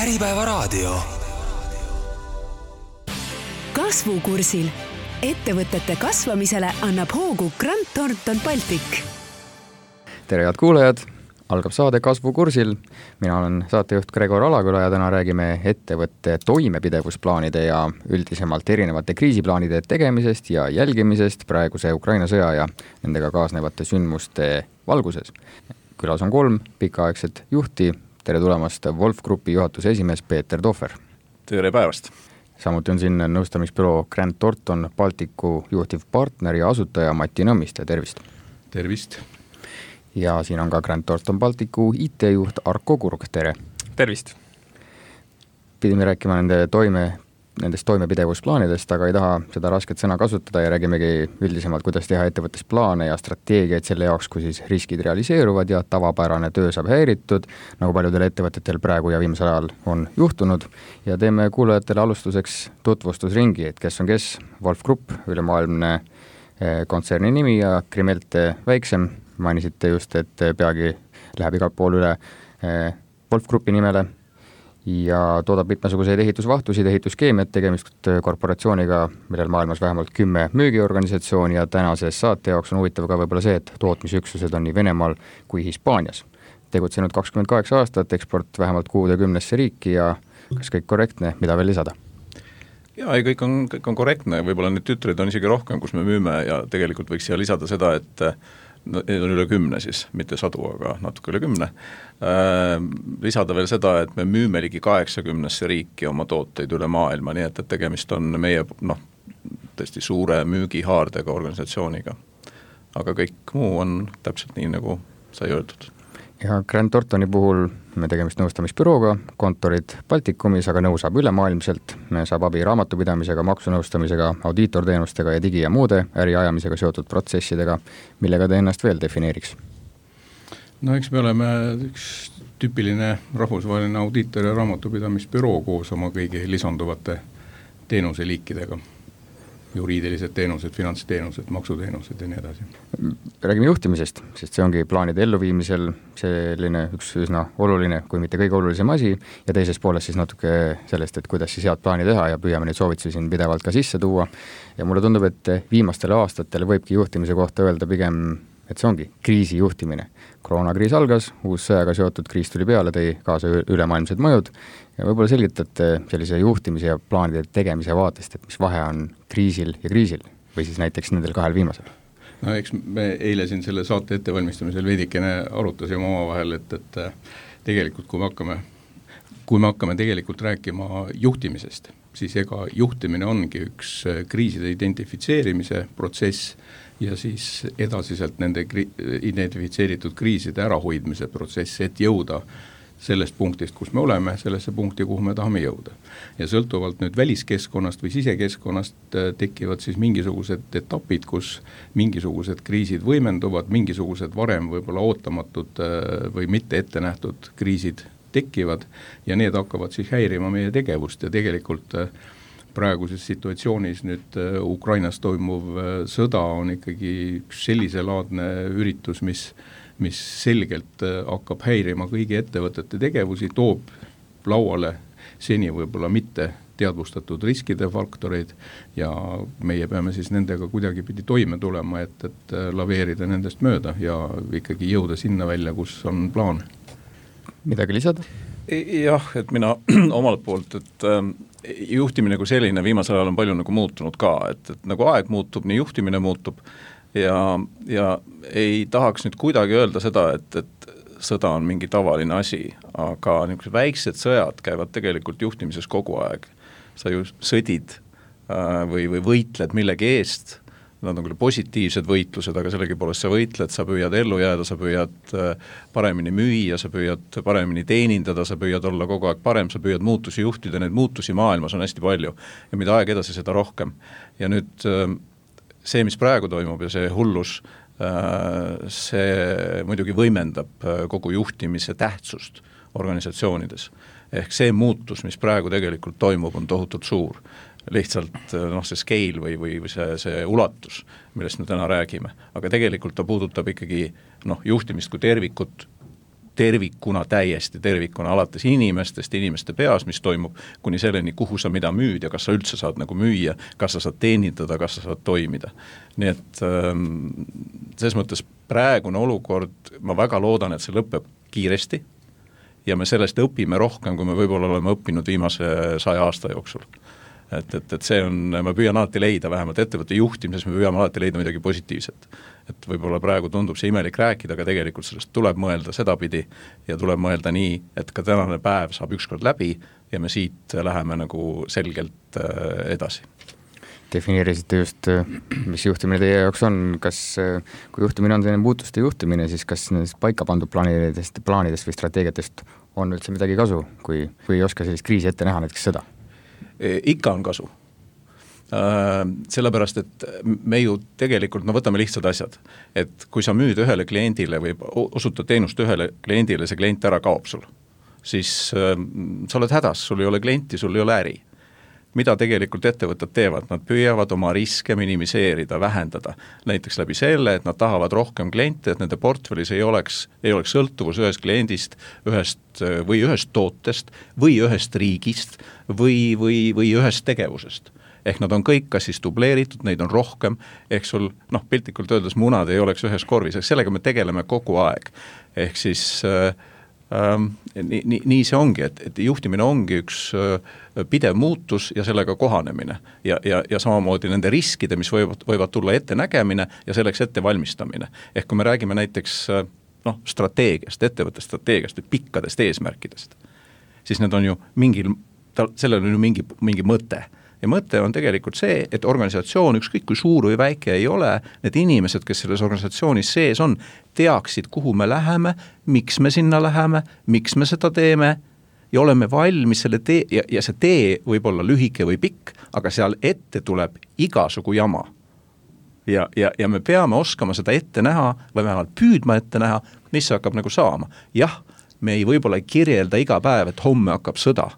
Äripäevaraadio. Kasvukursil. Ettevõtete kasvamisele annab hoogu Grant Thornton Baltic. Tere head kuulajad, algab saade Kasvukursil. Mina olen saatejuht Gregor Alaküla ja täna räägime ettevõtte toimepidevusplaanide ja üldisemalt erinevate kriisiplaanide tegemisest ja jälgimisest praeguse Ukraina sõja ja nendega kaasnevate sündmuste valguses. Külas on 3 pikaaegset juhti. Tere tulemast Wolf Grupi juhatuse esimees Peeter Tohver. Tere päevast. Samuti on siin nõustamisbüroo Grant Thornton Balticu juhtivpartner ja asutaja Mati Nõmmiste. Tervist. Tervist. Ja siin on ka Grant Thornton Balticu IT-juht Arko Kurg. Tere. Tervist. Pidime rääkima nendest toimepidevusplaanidest, aga ei taha seda rasket sõna kasutada ja räägimegi üldisemalt, kuidas teha ettevõttes plaane ja strateegiaid selle jaoks, kui siis riskid realiseeruvad ja tavapärane töö saab häiritud, nagu paljudel ettevõtetel praegu ja viimasel ajal on juhtunud. Ja teeme kuulajatele alustuseks tutvustusringi, et kes on kes. Wolf Group, ülemaailmne kontserni nimi ja Krimelte väiksem. Mainisite just, et peagi läheb igal pool üle Wolf Grupi nimele ja toodab mitmesuguseid ehitusvahtusid, ehituskeemiat, tegemist korporatsiooniga, millel maailmas vähemalt 10 müügiorganisatsiooni ja tänases saate jaoks on huvitav ka võib-olla see, et tootmisüksused on nii Venemaal kui Hispaanias. Tegutsenud 28 aastat, eksport vähemalt 60 riiki ja kas kõik korrektne, mida veel lisada? Jaa, kõik on korrektne, võib-olla need tütrid on isegi rohkem, kus me müüme ja tegelikult võiks siia lisada seda, et need on üle 10 siis, mitte 100, aga natuke üle 10. Lisada veel seda, et me müüme ligi 80 riiki oma tooteid üle maailma, nii et tegemist on meie tõesti suure müügihaardega organisatsiooniga. Aga kõik muu on täpselt nii, nagu sai öeldud. Ja Grant Thorntoni puhul me tegemist nõustamisbürooga, kontorid Baltikumis, aga nõu saab ülemaailmselt. Me saab abi raamatupidamisega, maksunõustamisega, audiitorteenustega ja digi- ja muude äriajamisega seotud protsessidega, millega te ennast veel defineeriks? No eks me oleme üks tüüpiline rahvusvaheline audiitor- ja raamatupidamisbüroo koos oma kõigi lisanduvate teenuseliikidega. Juriidilised teenused, finantsteenused, maksuteenused ja nii edasi. Räägime juhtimisest, sest see ongi plaanide elluviimisel selline üks üsna oluline, kui mitte kõige olulisem asi ja teises pooles siis natuke sellest, et kuidas siis head plaani teha ja püüame neid soovitusi siin pidevalt ka sisse tuua. Ja mulle tundub, et viimastel aastatel võibki juhtimise kohta öelda pigem, et see ongi kriisi juhtimine. Koroonakriis algas, uus sõjaga seotud kriis tuli peale, tõi kaasa ülemaailmsed mõjud ja võib-olla selgitate sellise juhtimise ja plaanide tegemise vaatest, et mis vahe on kriisil ja kriisil või siis näiteks nendel 2 viimasel? No eks me eile siin selle saate ettevalmistamisel veidikene arutasime omavahel, et tegelikult kui me hakkame tegelikult rääkima juhtimisest, siis ega juhtimine ongi üks kriiside identifitseerimise protsess ja siis edasiselt nende identifitseeritud kriiside ärahoidmise protsess, et jõuda sellest punktist, kus me oleme, sellesse punkti, kuhu me tahame jõuda. Ja sõltuvalt nüüd väliskeskkonnast või sisekeskkonnast tekivad siis mingisugused etapid, kus mingisugused kriisid võimenduvad, mingisugused varem võib-olla ootamatud või mitte ette nähtud kriisid tekivad ja need hakkavad siis häirima meie tegevust ja tegelikult praeguses situatsioonis nüüd Ukrainas toimuv sõda on ikkagi üks selliselaadne üritus, mis selgelt hakkab häirima kõigi ettevõtete tegevusi, toob lauale seni võib-olla mitte teadvustatud riskide faktoreid ja meie peame siis nendega kuidagipidi toime tulema, et laveerida nendest mööda ja ikkagi jõuda sinna välja, kus on plaan. Midagi lisada? Jah, et mina omalt poolt, et juhtimine kui selline viimasel ajal on palju nagu muutunud ka, et nagu aeg muutub, nii juhtimine muutub ja ei tahaks nüüd kuidagi öelda seda, et sõda on mingi tavaline asi, aga niisugused väiksed sõjad käivad tegelikult juhtimises kogu aeg. Sa ju sõdid või võitled millegi eest, nad on küll positiivsed võitlused, aga sellegi poolest sa võitled, sa püüad ellu jääda, sa püüad paremini müüa, sa püüad paremini teenindada, sa püüad olla kogu aeg parem, sa püüad muutusi juhtida, neid muutusi maailmas on hästi palju ja mida aeg edasi, seda rohkem. Ja nüüd see, mis praegu toimub ja see hullus, see muidugi võimendab kogu juhtimise tähtsust organisatsioonides. Ehk see muutus, mis praegu tegelikult toimub, on tohutult suur. Lihtsalt see scale või see ulatus, millest me täna räägime. Aga tegelikult ta puudutab ikkagi juhtimist kui tervikut tervikuna, täiesti tervikuna, alates inimestest, inimeste peas, mis toimub, kuni selleni, kuhu sa mida müüd ja kas sa üldse saad nagu müüa, kas sa saad teenindada, kas sa saad toimida. Nii et selles mõttes praegune olukord, ma väga loodan, et see lõpeb kiiresti ja me sellest õpime rohkem, kui me võib-olla oleme õppinud viimase 100 aasta jooksul. Et see on, ma püüan alati leida, vähemalt ettevõtte juhtimises me püüame alati leida midagi positiivset. Et võib-olla praegu tundub see imelik rääkida, aga tegelikult sellest tuleb mõelda sedapidi ja tuleb mõelda nii, et ka tänane päev saab ükskord läbi ja me siit läheme nagu selgelt edasi. Defineerisite just, mis juhtimine teie jaoks on, kas kui juhtimine on selline muutuste juhtimine, siis kas nendest paika pandud plaanidest või strateegiatest on üldse midagi kasu, kui ei oska sellist kriisi ette näha, näiteks seda? Ikka on kasu. Sellepärast, et me ju tegelikult, võtame lihtsad asjad, et kui sa müüd ühele kliendile või osutad teenust ühele kliendile, see klient ära kaob sul, siis sa oled hädas, sul ei ole klienti, sul ei ole äri. Mida tegelikult ettevõtted teevad? Nad püüavad oma riske minimiseerida, vähendada. Näiteks läbi selle, et nad tahavad rohkem kliente, et nende portfellis ei oleks sõltuvus ühest kliendist, ühest tootest või ühest riigist või ühest tegevusest. Ehk nad on kõik kas siis dubleeritud, neid on rohkem, ehk sul, piltlikult öeldes munad ei oleks ühes korvis, ehk sellega me tegeleme kogu aeg. Ehk siis nii see ongi, et juhtimine ongi üks pidev muutus ja sellega kohanemine ja samamoodi nende riskide, mis võivad tulla ette nägemine ja selleks ette valmistamine. Ehk kui me räägime näiteks strateegiast, ettevõtte strateegiast või pikkadest eesmärkidest, siis need on ju sellel on ju mingi mõte. Ja mõte on tegelikult see, et organisatsioon, ükskõik kui suur või väike ei ole, need inimesed, kes selles organisatsioonis sees on, teaksid, kuhu me läheme, miks me sinna läheme, miks me seda teeme ja oleme valmis selle tee, ja see tee võib olla lühike või pikk, aga seal ette tuleb igasugu jama. Ja me peame oskama seda ette näha või vähemalt püüdma ette näha, mis hakkab nagu saama. Jah, me ei võib-olla kirjelda iga päev, et homme hakkab sõda,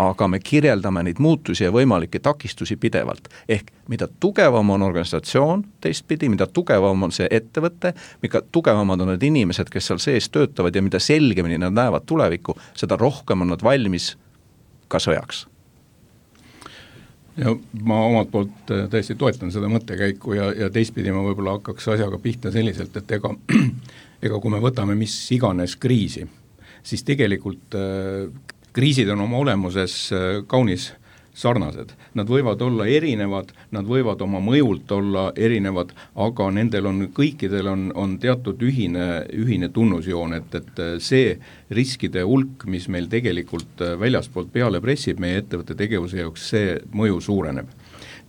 aga me kirjeldame neid muutusi ja võimalikke takistusi pidevalt. Ehk mida tugevam on organisatsioon teistpidi, mida tugevam on see ettevõte, mida tugevamad on need inimesed, kes seal sees töötavad ja mida selgemini nad näevad tulevikku, seda rohkem on nad valmis ka sõjaks. Ja ma omalt poolt tõesti toetan seda mõttekäiku ja teistpidi ma võib-olla hakkaks asjaga pihta selliselt, et ega kui me võtame mis iganes kriisi, siis tegelikult kriisid on oma olemuses kaunis sarnased. Nad võivad olla erinevad, nad võivad oma mõjult olla erinevad, aga nendel on kõikidel on teatud ühine tunnusjoon, et see riskide hulk, mis meil tegelikult väljaspoolt peale pressib meie ettevõtte tegevuse jaoks, see mõju suureneb.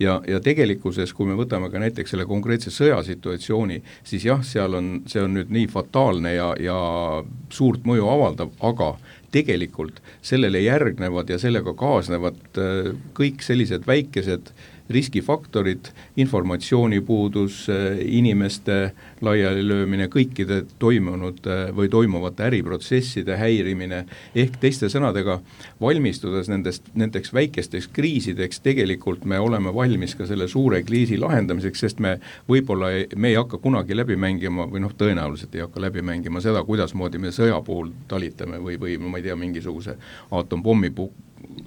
Ja tegelikkuses, kui me võtame ka näiteks selle konkreetse sõjasituatsiooni, siis jah, see on nüüd nii fataalne ja suurt mõju avaldav, aga tegelikult sellele järgnevad ja sellega kaasnevad kõik sellised väikesed riskifaktorid, informatsioonipuudus, inimeste laialilöömine, kõikide toimunud või toimuvate äriprotsesside häirimine, ehk teiste sõnadega valmistudes nendeks väikesteks kriisideks, tegelikult me oleme valmis ka selle suure kriisi lahendamiseks, sest me võib-olla me ei hakka kunagi läbi mängima või tõenäoliselt ei hakka läbi mängima seda, kuidasmoodi me sõja puhul talitame või ma ei tea, mingisuguse atompommi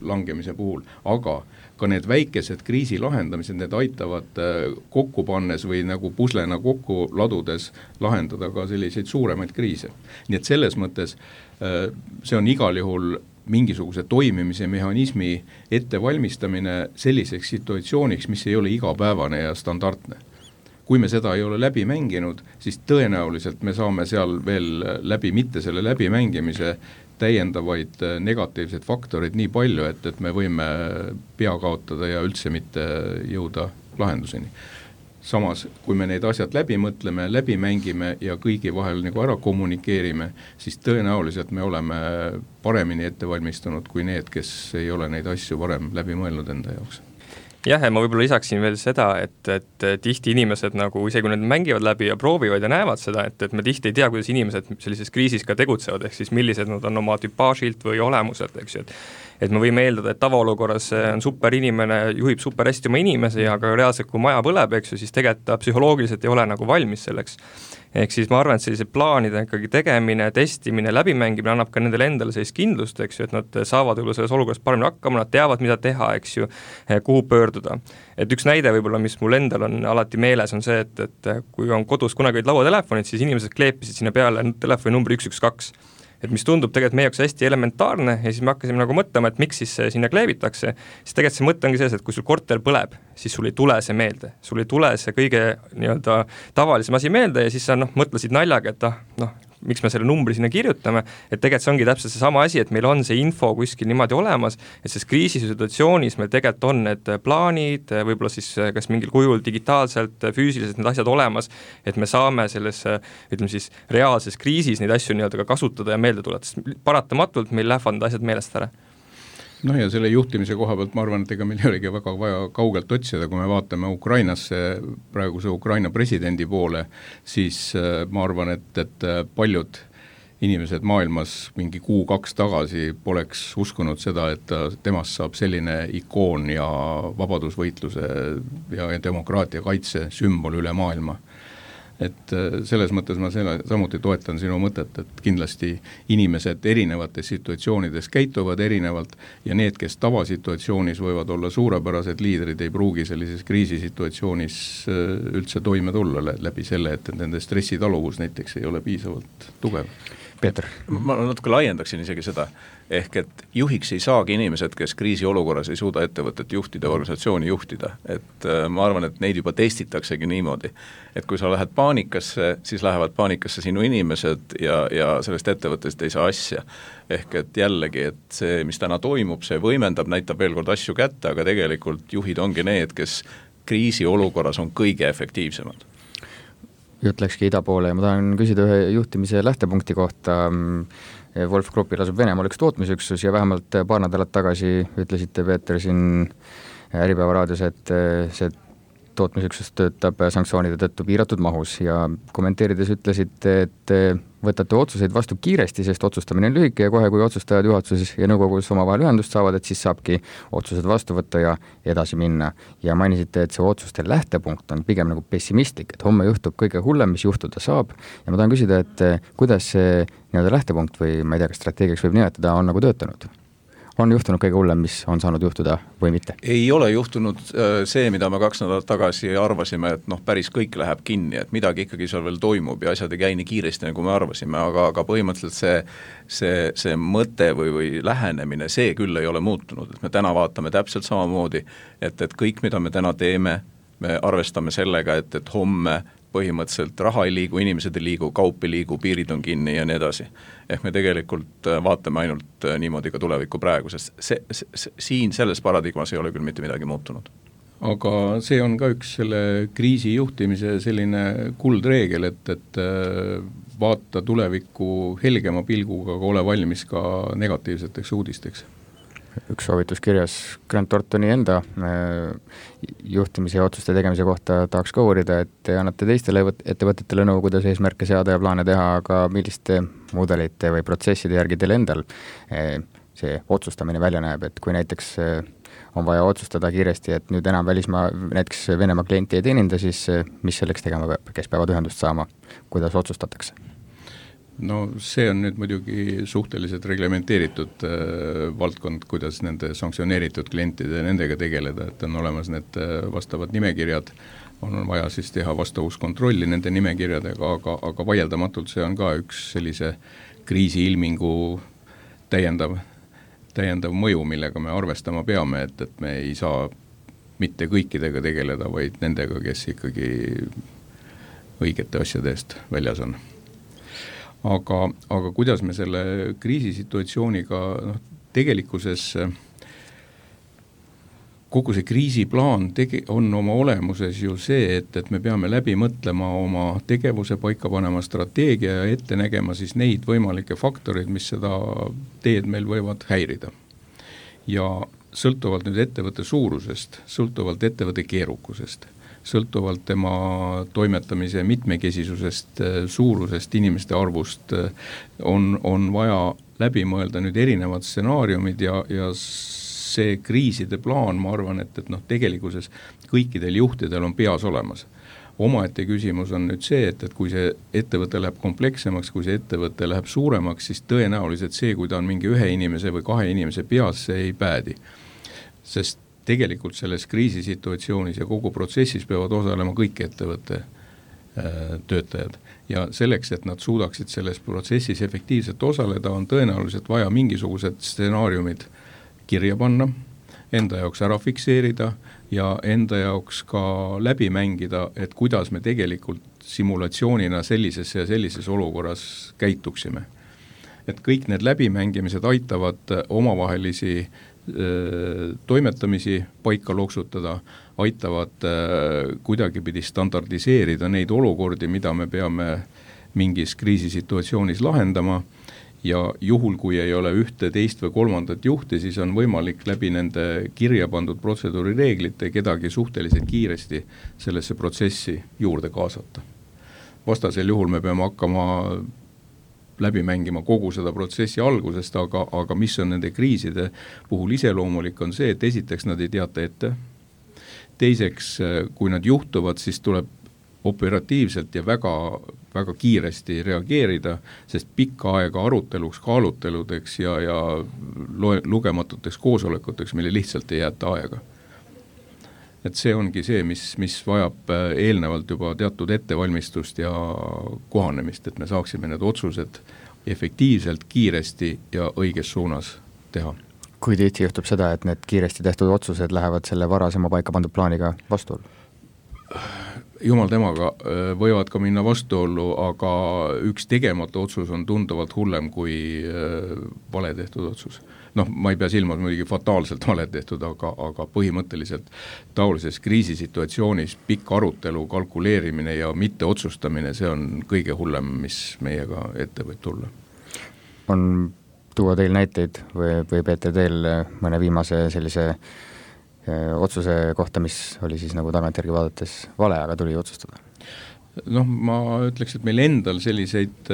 langemise puhul, aga ka need väikesed kriisi lahendamised, need aitavad kokku pannes või nagu puslena kokku ladudes lahendada ka selliseid suuremaid kriise. Nii et selles mõttes see on igal juhul mingisuguse toimimise mehhanismi ettevalmistamine selliseks situatsiooniks, mis ei ole igapäevane ja standardne. Kui me seda ei ole läbi mänginud, siis tõenäoliselt me saame seal veel mitte selle läbimängimise täiendavaid negatiivseid faktoreid nii palju, et me võime pea kaotada ja üldse mitte jõuda lahenduseni. Samas, kui me neid asjad läbi mõtleme, läbi mängime ja kõigi vahel nagu ära kommunikeerime, siis tõenäoliselt me oleme paremini ette valmistunud kui need, kes ei ole neid asju varem läbi mõelnud enda jaoks. Jah, ja ma võib-olla lisaksin veel seda, et tihti inimesed nagu, isegi kui need mängivad läbi ja proovivad ja näevad seda, et me tihti ei tea, kuidas inimesed sellises kriisis ka tegutsevad, ehk siis millised nad on oma tüpaažilt või olemuselt, eks ju, et me võime eeldada, et tavaolukorras on super inimene, juhib super hästi oma inimesi, aga reaalselt kui maja põleb, eks ju, siis tegelikult ta psühholoogiliselt ei ole nagu valmis selleks. ehk siis ma arvan, et sellise plaanide ikkagi tegemine, testimine, läbimängimine annab ka nendele endale sellist kindlust, eks ju, et nad saavad võib-olla selles olukorras paremini hakkama, nad teavad, mida teha, eks ju, kuhu pöörduda. Et üks näide võib-olla, mis mul endal on alati meeles, on see, et kui on kodus kunagi olid lauatelefonid, siis inimesed kleepisid sinna peale telefoni numbri 112. Et mis tundub tegelikult meie jaoks hästi elementaarne ja siis me hakkasime nagu mõtlema, et miks siis sinna kleebitakse, siis tegelikult see mõte ongi selles, et kui sul korter põleb, siis sul ei tule see meelde, sul ei tule see kõige nii-öelda tavalisem asi meelde ja siis sa mõtlesid naljaga, et miks me selle numbri sinna kirjutame, et tegelikult see ongi täpselt seesama asi, et meil on see info kuskil niimoodi olemas, et selles kriisisituatsioonis meil tegelikult on need plaanid, võib-olla siis kas mingil kujul digitaalselt, füüsiliselt need asjad olemas, et me saame selles, ütleme siis, reaalses kriisis neid asju nii-öelda ka kasutada ja meelde tuletada, sest paratamatult meil lähevad need asjad meelest ära. No ja selle juhtimise koha pealt ma arvan, et ega meil ei olegi väga vaja kaugelt otsida, kui me vaatame Ukrainasse, praeguse Ukraina presidendi poole, siis ma arvan, et paljud inimesed maailmas mingi 1-2 tagasi poleks uskunud seda, et temast saab selline ikoon ja vabadusvõitluse ja demokraatia kaitse sümbol üle maailma. Et selles mõttes ma samuti toetan sinu mõtet, et kindlasti inimesed erinevates situatsioonides käituvad erinevalt ja need, kes tavasituatsioonis võivad olla suurepärased liidrid, ei pruugi sellises kriisisituatsioonis üldse toime tulla läbi selle, et nende stressitaluvus näiteks ei ole piisavalt tugev. Peeter. Ma natuke laiendaksin isegi seda, ehk et juhiks ei saagi inimesed, kes kriisiolukorras ei suuda ettevõtet juhtida, organisatsiooni juhtida, et ma arvan, et neid juba testitaksegi niimoodi, et kui sa lähed paanikasse, siis lähevad paanikasse sinu inimesed ja sellest ettevõttest ei saa asja, ehk et jällegi, et see, mis täna toimub, see võimendab, näitab veel kord asju kätte, aga tegelikult juhid ongi need, kes kriisiolukorras on kõige efektiivsemad. Jutt läkski ida poole ja ma tahan küsida ühe juhtimise lähtepunkti kohta. Wolf Grupil asub Venemaal üks tootmisüksus ja vähemalt paar nädalat tagasi ütlesite, Peeter, siin Äripäeva raadios, et see tootmisüksus töötab sanktsioonide tõttu piiratud mahus ja kommenteerides ütlesite, et võtate otsuseid vastu kiiresti, sest otsustamine on lühike ja kohe, kui otsustajad juhatuses ja nõukogus omavahel ühendust saavad, et siis saabki otsused vastu võtta ja edasi minna. Ja mainisite, et see otsuste lähtepunkt on pigem nagu pessimistlik, et homme juhtub kõige hullem, mis juhtuda saab. Ja ma tahan küsida, et kuidas see nii-öelda lähtepunkt või ma ei tea, kas strateegiaks võib nimetada, on nagu töötanud? On juhtunud kõige hullem, mis on saanud juhtuda või mitte? Ei ole juhtunud see, mida me 2 nädalat tagasi arvasime, et päris kõik läheb kinni, et midagi ikkagi seal veel toimub ja asjad ei käi nii kiiresti, nagu me arvasime, aga põhimõtteliselt see mõte või lähenemine, see küll ei ole muutunud, et me täna vaatame täpselt samamoodi, et kõik, mida me täna teeme, me arvestame sellega, et homme põhimõtteliselt raha ei liigu, inimesed ei liigu, kaup ei liigu, piirid on kinni ja nii edasi. Ehk me tegelikult vaatame ainult niimoodi ka tulevikku praegu, sest siin selles paradigmas ei ole küll mitte midagi muutunud. Aga see on ka üks selle kriisi juhtimise selline kuldreegel, et vaata tulevikku helgema pilguga, aga ole valmis ka negatiivseteks uudisteks. Üks soovitus kirjas Grant Thorntoni enda juhtimise ja otsuste tegemise kohta tahaks ka uurida, et te annate teistele ettevõtetele nõu, kuidas eesmärke seada ja plaane teha, aga milliste mudelite või protsesside järgi teil endal see otsustamine välja näeb, et kui näiteks on vaja otsustada kiiresti, et nüüd enam näiteks Venemaa klienti ei teeninda, siis mis selleks tegema peab, kes peavad ühendust saama, kuidas otsustatakse? No see on nüüd muidugi suhteliselt reglementeeritud valdkond, kuidas nende sanktsioneeritud klientide nendega tegeleda, et on olemas need vastavad nimekirjad, on vaja siis teha vastavuskontrolli nende nimekirjadega, aga vaieldamatult see on ka üks sellise kriisiilmingu täiendav mõju, millega me arvestama peame, et me ei saa mitte kõikidega tegeleda, vaid nendega, kes ikkagi õigete asjade eest väljas on. Aga kuidas me selle kriisisituatsiooniga tegelikkuses kogu see kriisiplaan on oma olemuses ju see, et me peame läbi mõtlema oma tegevuse, paika panema strateegia ja ette nägema siis neid võimalikke faktoreid, mis seda teed meil võivad häirida. Ja sõltuvalt nüüd ettevõtte suurusest, sõltuvalt ettevõtte keerukusest, sõltuvalt tema toimetamise mitmekesisusest, suurusest, inimeste arvust on vaja läbi mõelda nüüd erinevad stsenaariumid ja see kriiside plaan, ma arvan, et tegelikuses kõikidel juhtidel on peas olemas. omaette küsimus on nüüd see, et kui see ettevõte läheb komplekssemaks, kui see ettevõte läheb suuremaks, siis tõenäoliselt see, kui ta on mingi ühe inimese või kahe inimese peas, see ei päädi. Sest tegelikult selles kriisisituatsioonis ja kogu protsessis peavad osalema kõik ettevõtte töötajad. Ja selleks, et nad suudaksid selles protsessis efektiivselt osaleda, on tõenäoliselt vaja mingisugused stsenaariumid kirja panna, enda jaoks ära fikseerida ja enda jaoks ka läbi mängida, et kuidas me tegelikult simulatsioonina sellises ja sellises olukorras käituksime. Et kõik need läbimängimised aitavad omavahelisi toimetamisi paika loksutada, aitavad kuidagipidi standardiseerida neid olukordi, mida me peame mingis kriisisituatsioonis lahendama ja juhul, kui ei ole ühte, teist või kolmandat juhti, siis on võimalik läbi nende kirja pandud protseduurireeglite kedagi suhteliselt kiiresti sellesse protsessi juurde kaasata. Vastasel juhul me peame hakkama läbi mängima kogu seda protsessi algusest, aga mis on nende kriiside puhul iseloomulik on see, et esiteks nad ei teata ette. Teiseks, kui nad juhtuvad, siis tuleb operatiivselt ja väga, väga kiiresti reageerida, sest pikka aega aruteluks, kaaluteludeks ja lugematuteks koosolekuteks meile lihtsalt ei jäeta aega. Et see ongi see, mis vajab eelnevalt juba teatud ettevalmistust ja kohanemist, et me saaksime need otsused efektiivselt, kiiresti ja õiges suunas teha. Kui tihti juhtub seda, et need kiiresti tehtud otsused lähevad selle varasema paika pandud plaaniga vastuollu? Jumal temaga võivad ka minna vastuollu, aga üks tegemata otsus on tunduvalt hullem kui vale tehtud otsus. Ma ei pea silmas muidugi fataalselt vale tehtud, aga põhimõtteliselt taolises kriisisituatsioonis pikk arutelu, kalkuleerimine ja mitte otsustamine, see on kõige hullem, mis meiega ette võib tulla. On tuua teil näiteid või Peeter teil mõne viimase sellise otsuse kohta, mis oli siis nagu tagantjärgi vaadates vale, aga tuli otsustada? Ma ütleks, et meil endal selliseid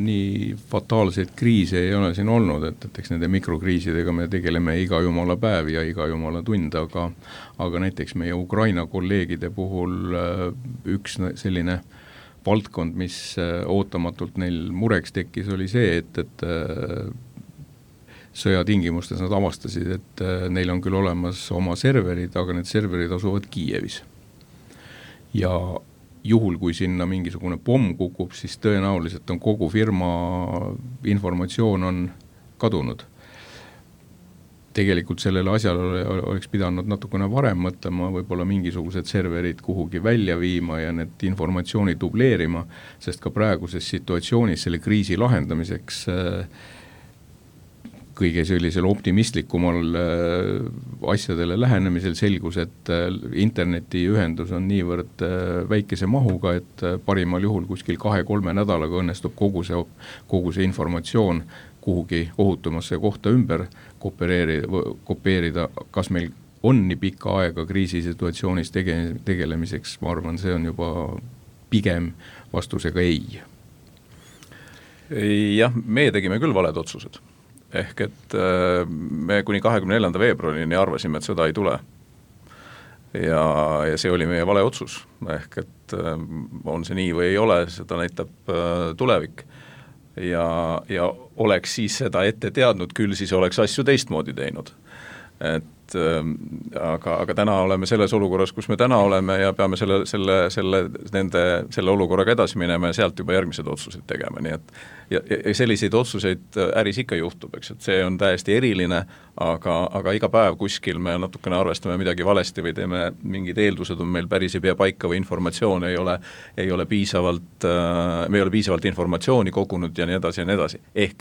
nii fataalseid kriise ei ole siin olnud, et eks nende mikrokriisidega me tegeleme iga jumala päev ja iga jumala tund, aga näiteks meie Ukraina kolleegide puhul üks selline valdkond, mis ootamatult neil mureks tekkis, oli see, et sõjatingimustes nad avastasid, et neil on küll olemas oma serverid, aga need serverid asuvad Kiievis. Ja juhul, kui sinna mingisugune pomm kukub, siis tõenäoliselt on kogu firma informatsioon on kadunud. Tegelikult sellele asjale oleks pidanud natukene varem mõtlema, võib-olla mingisugused serverid kuhugi välja viima ja need informatsiooni dubleerima, sest ka praeguses situatsioonis selle kriisi lahendamiseks kõige sellisel optimistlikumal asjadele lähenemisel selgus, et internetiühendus on niivõrd väikese mahuga, et parimal juhul kuskil 2-3 nädalaga õnnestub kogu see informatsioon kuhugi ohutumasse kohta ümber kopeerida. Kas meil on nii pikka aega kriisisituatsioonis tegelemiseks, ma arvan, see on juba pigem vastusega ei. Jah, me tegime küll valed otsused. Ehk et me kuni 24. veebruarini arvasime, et sõda ei tule. Ja see oli meie vale otsus. Ehk et on see nii või ei ole, seda näitab tulevik. Ja oleks siis seda ette teadnud, küll siis oleks asju teistmoodi teinud. Aga täna oleme selles olukorras, kus me täna oleme ja peame selle olukorraga edasi minema ja sealt juba järgmised otsused tegema. Nii et ja selliseid otsuseid äris ikka juhtub, eks, et see on täiesti eriline, aga iga päev kuskil me natukene arvestame midagi valesti või teeme mingid eeldused on meil päris ei pea paika või informatsioon ei ole piisavalt, me ei ole piisavalt informatsiooni kogunud ja nii edasi ja nii edasi. Ehk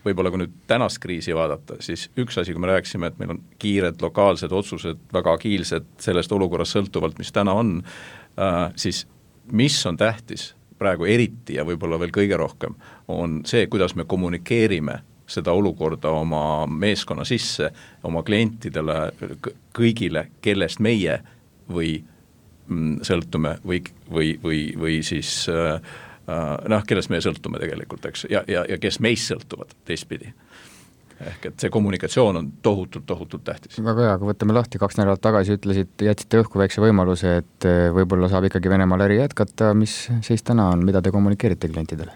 võib-olla kui nüüd tänast kriisi vaadata, siis üks asi, kui me rääksime, et meil on kiired lokaalsed otsused, väga agiilsed sellest olukorrast sõltuvalt, mis täna on, siis mis on tähtis praegu eriti ja võib-olla veel kõige rohkem, on see, kuidas me kommunikeerime seda olukorda oma meeskonna sisse, oma klientidele, kõigile, kellest meie või sõltume või siis kellest me sõltume tegelikult, eks, ja kes meist sõltuvad teistpidi. ehk et see kommunikatsioon on tohutult tähtis. Väga hea, aga võtame lahti, 2 nädalat tagasi jätsite õhku väikse võimaluse, et võib-olla saab ikkagi Venemaal äri jätkata, mis seis täna on, mida te kommunikeerite klientidele?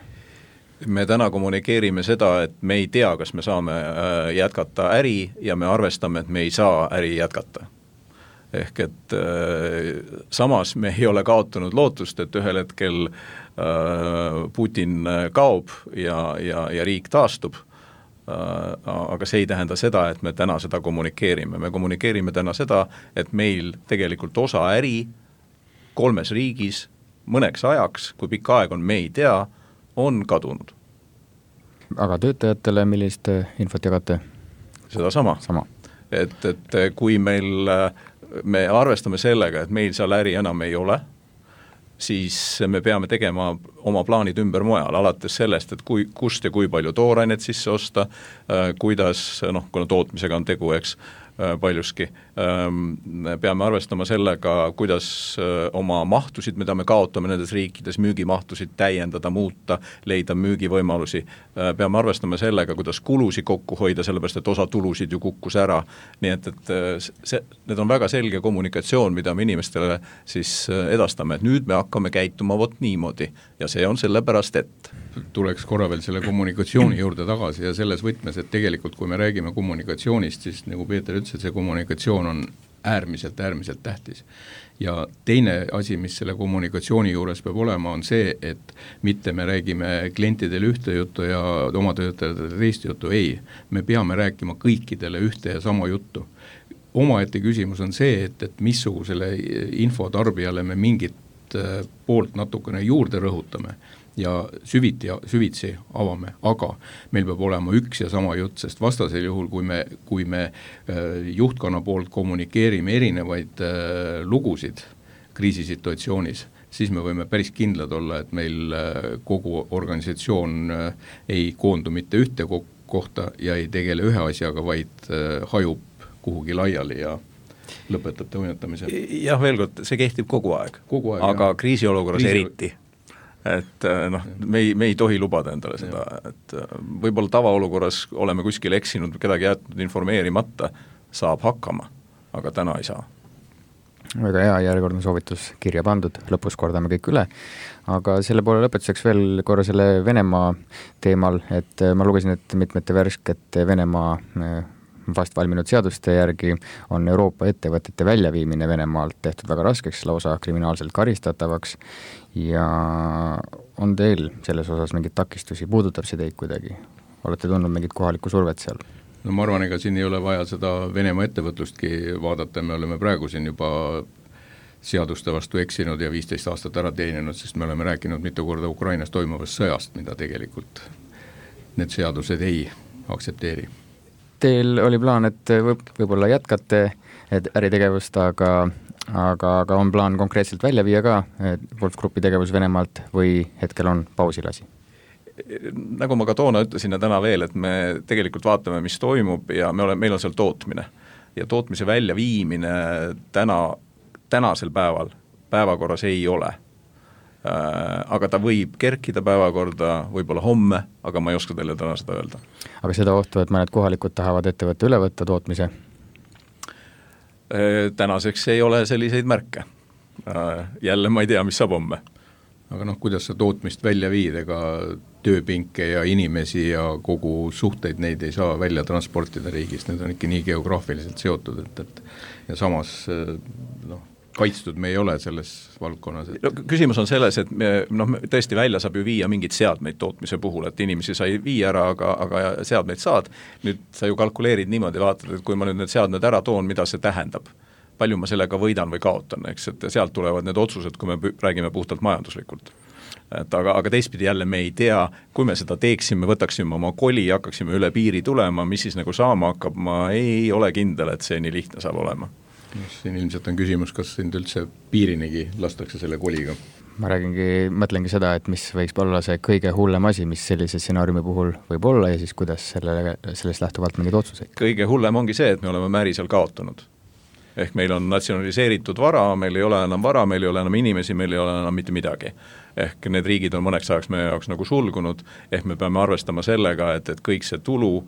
Me täna kommunikeerime seda, et me ei tea, kas me saame jätkata äri ja me arvestame, et me ei saa äri jätkata. Ehk et samas me ei ole kaotanud lootust, et ühel hetkel Putin kaob ja riik taastub, aga see ei tähenda seda, et me täna seda kommunikeerime. Me kommunikeerime täna seda, et meil tegelikult osa äri 3 riigis mõneks ajaks, kui pikk aeg on, me ei tea, on kadunud. Aga töötajatele millist infot jagate? Seda sama. Et kui me arvestame sellega, et meil seal äri enam ei ole, siis me peame tegema oma plaanid ümber mujal, alates sellest, et kust ja kui palju toorainet sisse osta, kuidas, kuna tootmisega on tegu, eks, paljuski. Peame arvestama sellega, kuidas oma mahtusid, mida me kaotame nendes riikides, müügimahtusid täiendada, muuta, leida müügivõimalusi. Peame arvestama sellega, kuidas kulusid kokku hoida, sellepärast, et osa tulusid ju kukkus ära. Nii et need on väga selge kommunikatsioon, mida me inimestele siis edastame, et nüüd me hakkame käituma vot niimoodi ja see on sellepärast, et tuleks korra veel selle kommunikatsiooni juurde tagasi ja selles võtmes, et tegelikult kui me räägime kommunikatsioonist, siis nagu Peeter ütles, et see kommunikatsioon on äärmiselt tähtis. Ja teine asi, mis selle kommunikatsiooni juures peab olema, on see, et mitte me räägime klientidele ühte juttu ja oma töötajatele teist juttu, ei. Me peame rääkima kõikidele ühte ja sama juttu. Omaette küsimus on see, et missugusele infotarbijale me mingit poolt natukene juurde rõhutame ja süvitsi avame, aga meil peab olema üks ja sama jutt, sest vastasel juhul, kui me juhtkonna poolt kommunikeerime erinevaid lugusid kriisisituatsioonis, siis me võime päris kindlad olla, et meil kogu organisatsioon ei koondu mitte ühte kohta ja ei tegele ühe asjaga, vaid hajub kuhugi laiali ja lõpetab toimetamise. Jah, veel kord, see kehtib kogu aeg aga kriisiolukorras eriti. Et me ei tohi lubada endale seda, et võib-olla tavaolukorras oleme kuskil eksinud, kedagi jätnud informeerimata, saab hakkama, aga täna ei saa. Väga hea, järjekordne soovitus kirja pandud, lõpus kordame kõik üle, aga selle poole lõpetuseks veel korra selle Venemaa teemal, et ma lugesin, et mitmete värskete Venemaa vast valminud seaduste järgi on Euroopa ettevõtete väljaviimine Venemaalt tehtud väga raskeks, lausa kriminaalselt karistatavaks ja on teil selles osas mingid takistusi, puudutab see teid kuidagi? Olete tundnud mingit kohalikku survet seal? No ma arvan, ega siin ei ole vaja seda Venemaa ettevõtlustki vaadata, me oleme praegu siin juba seaduste vastu eksinud ja 15 aastat ära teeninud, sest me oleme rääkinud mitu korda Ukrainas toimuvast sõjast, mida tegelikult need seadused ei aktsepteeri. Teil oli plaan, et võib-olla jätkate äritegevust, aga on plaan konkreetselt välja viia ka Wolf Grupi tegevus Venemaalt või hetkel on pausilasi? Nagu ma ka toona ütlesin ja täna veel, et me tegelikult vaatame, mis toimub ja meil on seal tootmine ja tootmise väljaviimine tänasel päevakorras ei ole. Aga ta võib kerkida päevakorda võib-olla homme, aga ma ei oska teile täna seda öelda. Aga seda ohtu, et mõned kohalikud tahavad ettevõtte üle võtta tootmise? Tänaseks ei ole selliseid märke. Jälle ma ei tea, mis saab homme. Aga kuidas sa tootmist välja viid, ega tööpinke ja inimesi ja kogu suhteid neid ei saa välja transportida riigist, need on ikka nii geograafiliselt seotud, ja samas kaitstud me ei ole selles valdkonnas. Küsimus on selles, et tõesti välja saab ju viia mingid seadmeid tootmise puhul, et inimesi sai viia ära, aga seadmeid saad. Nüüd sa ju kalkuleerid niimoodi, vaatad, et kui ma nüüd need seadmed ära toon, mida see tähendab, palju ma sellega võidan või kaotan, eks, et sealt tulevad need otsused, kui me räägime puhtalt majanduslikult. Aga teistpidi jälle me ei tea, kui me seda teeksime, võtaksime oma koli, hakkaksime üle piiri tulema, mis siis nagu saama hakkab, ma ei ole kindel, et see nii lihtne saab olema. Siin ilmselt on küsimus, kas sind üldse piirinigi lastakse selle koliga? Ma mõtlengi seda, et mis võiks olla see kõige hullem asi, mis sellise stsenaariumi puhul võib olla ja siis kuidas sellest lähtuvalt mingid otsuseid? Kõige hullem ongi see, et me oleme märi seal kaotanud. Ehk meil on natsionaliseeritud vara, meil ei ole enam vara, meil ei ole enam inimesi, meil ei ole enam mitte midagi. Ehk need riigid on mõneks ajaks meie jaoks nagu sulgunud, ehk me peame arvestama sellega, et kõik see tulu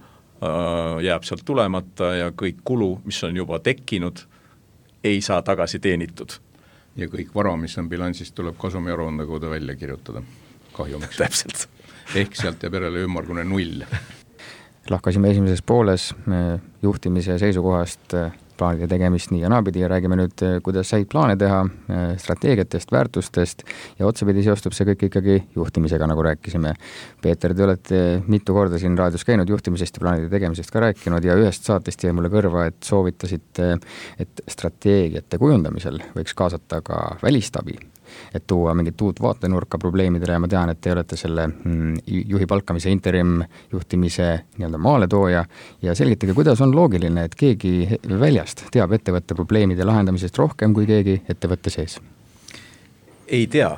jääb sealt tulemata ja kõik kulu, mis on juba tekkinud, ei saa tagasi teenitud. Ja kõik vara, mis on bilansist, tuleb kasumiaruande kaudu välja kirjutada kahjumiks. Täpselt. Ehk sealt jääb järele ümmargune 0. Lahkasime esimeses pooles juhtimise seisukohast plaanide tegemist nii ja naapidi ja räägime nüüd, kuidas häid plaane teha, strateegiatest, väärtustest ja otsapidi seostub see kõik ikkagi juhtimisega, nagu rääkisime. Peeter, te olete mitu korda siin raadios käinud juhtimisest ja plaanide tegemisest ka rääkinud ja ühest saatest jäi mulle kõrva, et soovitasite, et strateegiate kujundamisel võiks kaasata ka välistabi, et tuua mingit uut vaatenurka probleemidele ja ma tean, et te olete selle juhi palkamise interim juhtimise nii-öelda maaletooja ja selgitage, kuidas on loogiline, et keegi väljast teab ettevõtte probleemide lahendamisest rohkem kui keegi ettevõtte sees? Ei tea,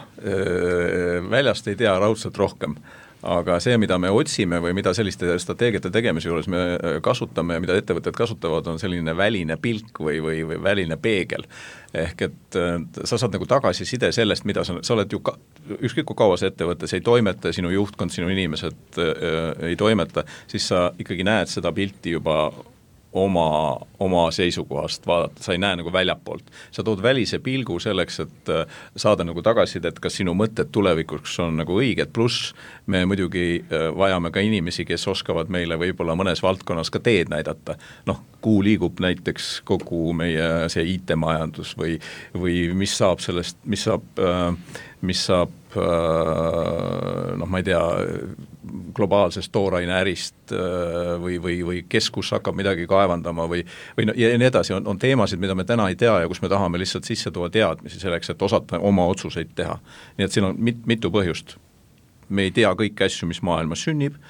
väljast ei tea raudselt rohkem. Aga see, mida me otsime või mida selliste strateegiate tegemise juures me kasutame ja mida ettevõtted kasutavad, on selline väline pilk või väline peegel. Ehk et sa saad nagu tagasiside sellest, mida sa oled ju ükskõik kui kaua see ettevõttes ei toimeta, sinu juhtkond, sinu inimesed ei toimeta, siis sa ikkagi näed seda pilti juba oma seisukohast vaadata, sa ei näe nagu väljapoolt. Sa tood välise pilgu selleks, et saada nagu tagasisidet, kas sinu mõtted tulevikuks on nagu õiged, pluss me muidugi vajame ka inimesi, kes oskavad meile võib-olla mõnes valdkonnas ka teed näidata. Kuhu liigub näiteks kogu meie see IT-majandus või mis saab sellest, mis saab ma ei tea, globaalsest tooraine ärist või keskus hakkab midagi kaevandama või ja nii edasi, on teemasid, mida me täna ei tea ja kus me tahame lihtsalt sisse tuua teadmisi selleks, et osata oma otsuseid teha. Nii et siin on mitu põhjust. Me ei tea kõiki asju, mis maailmas sünnib,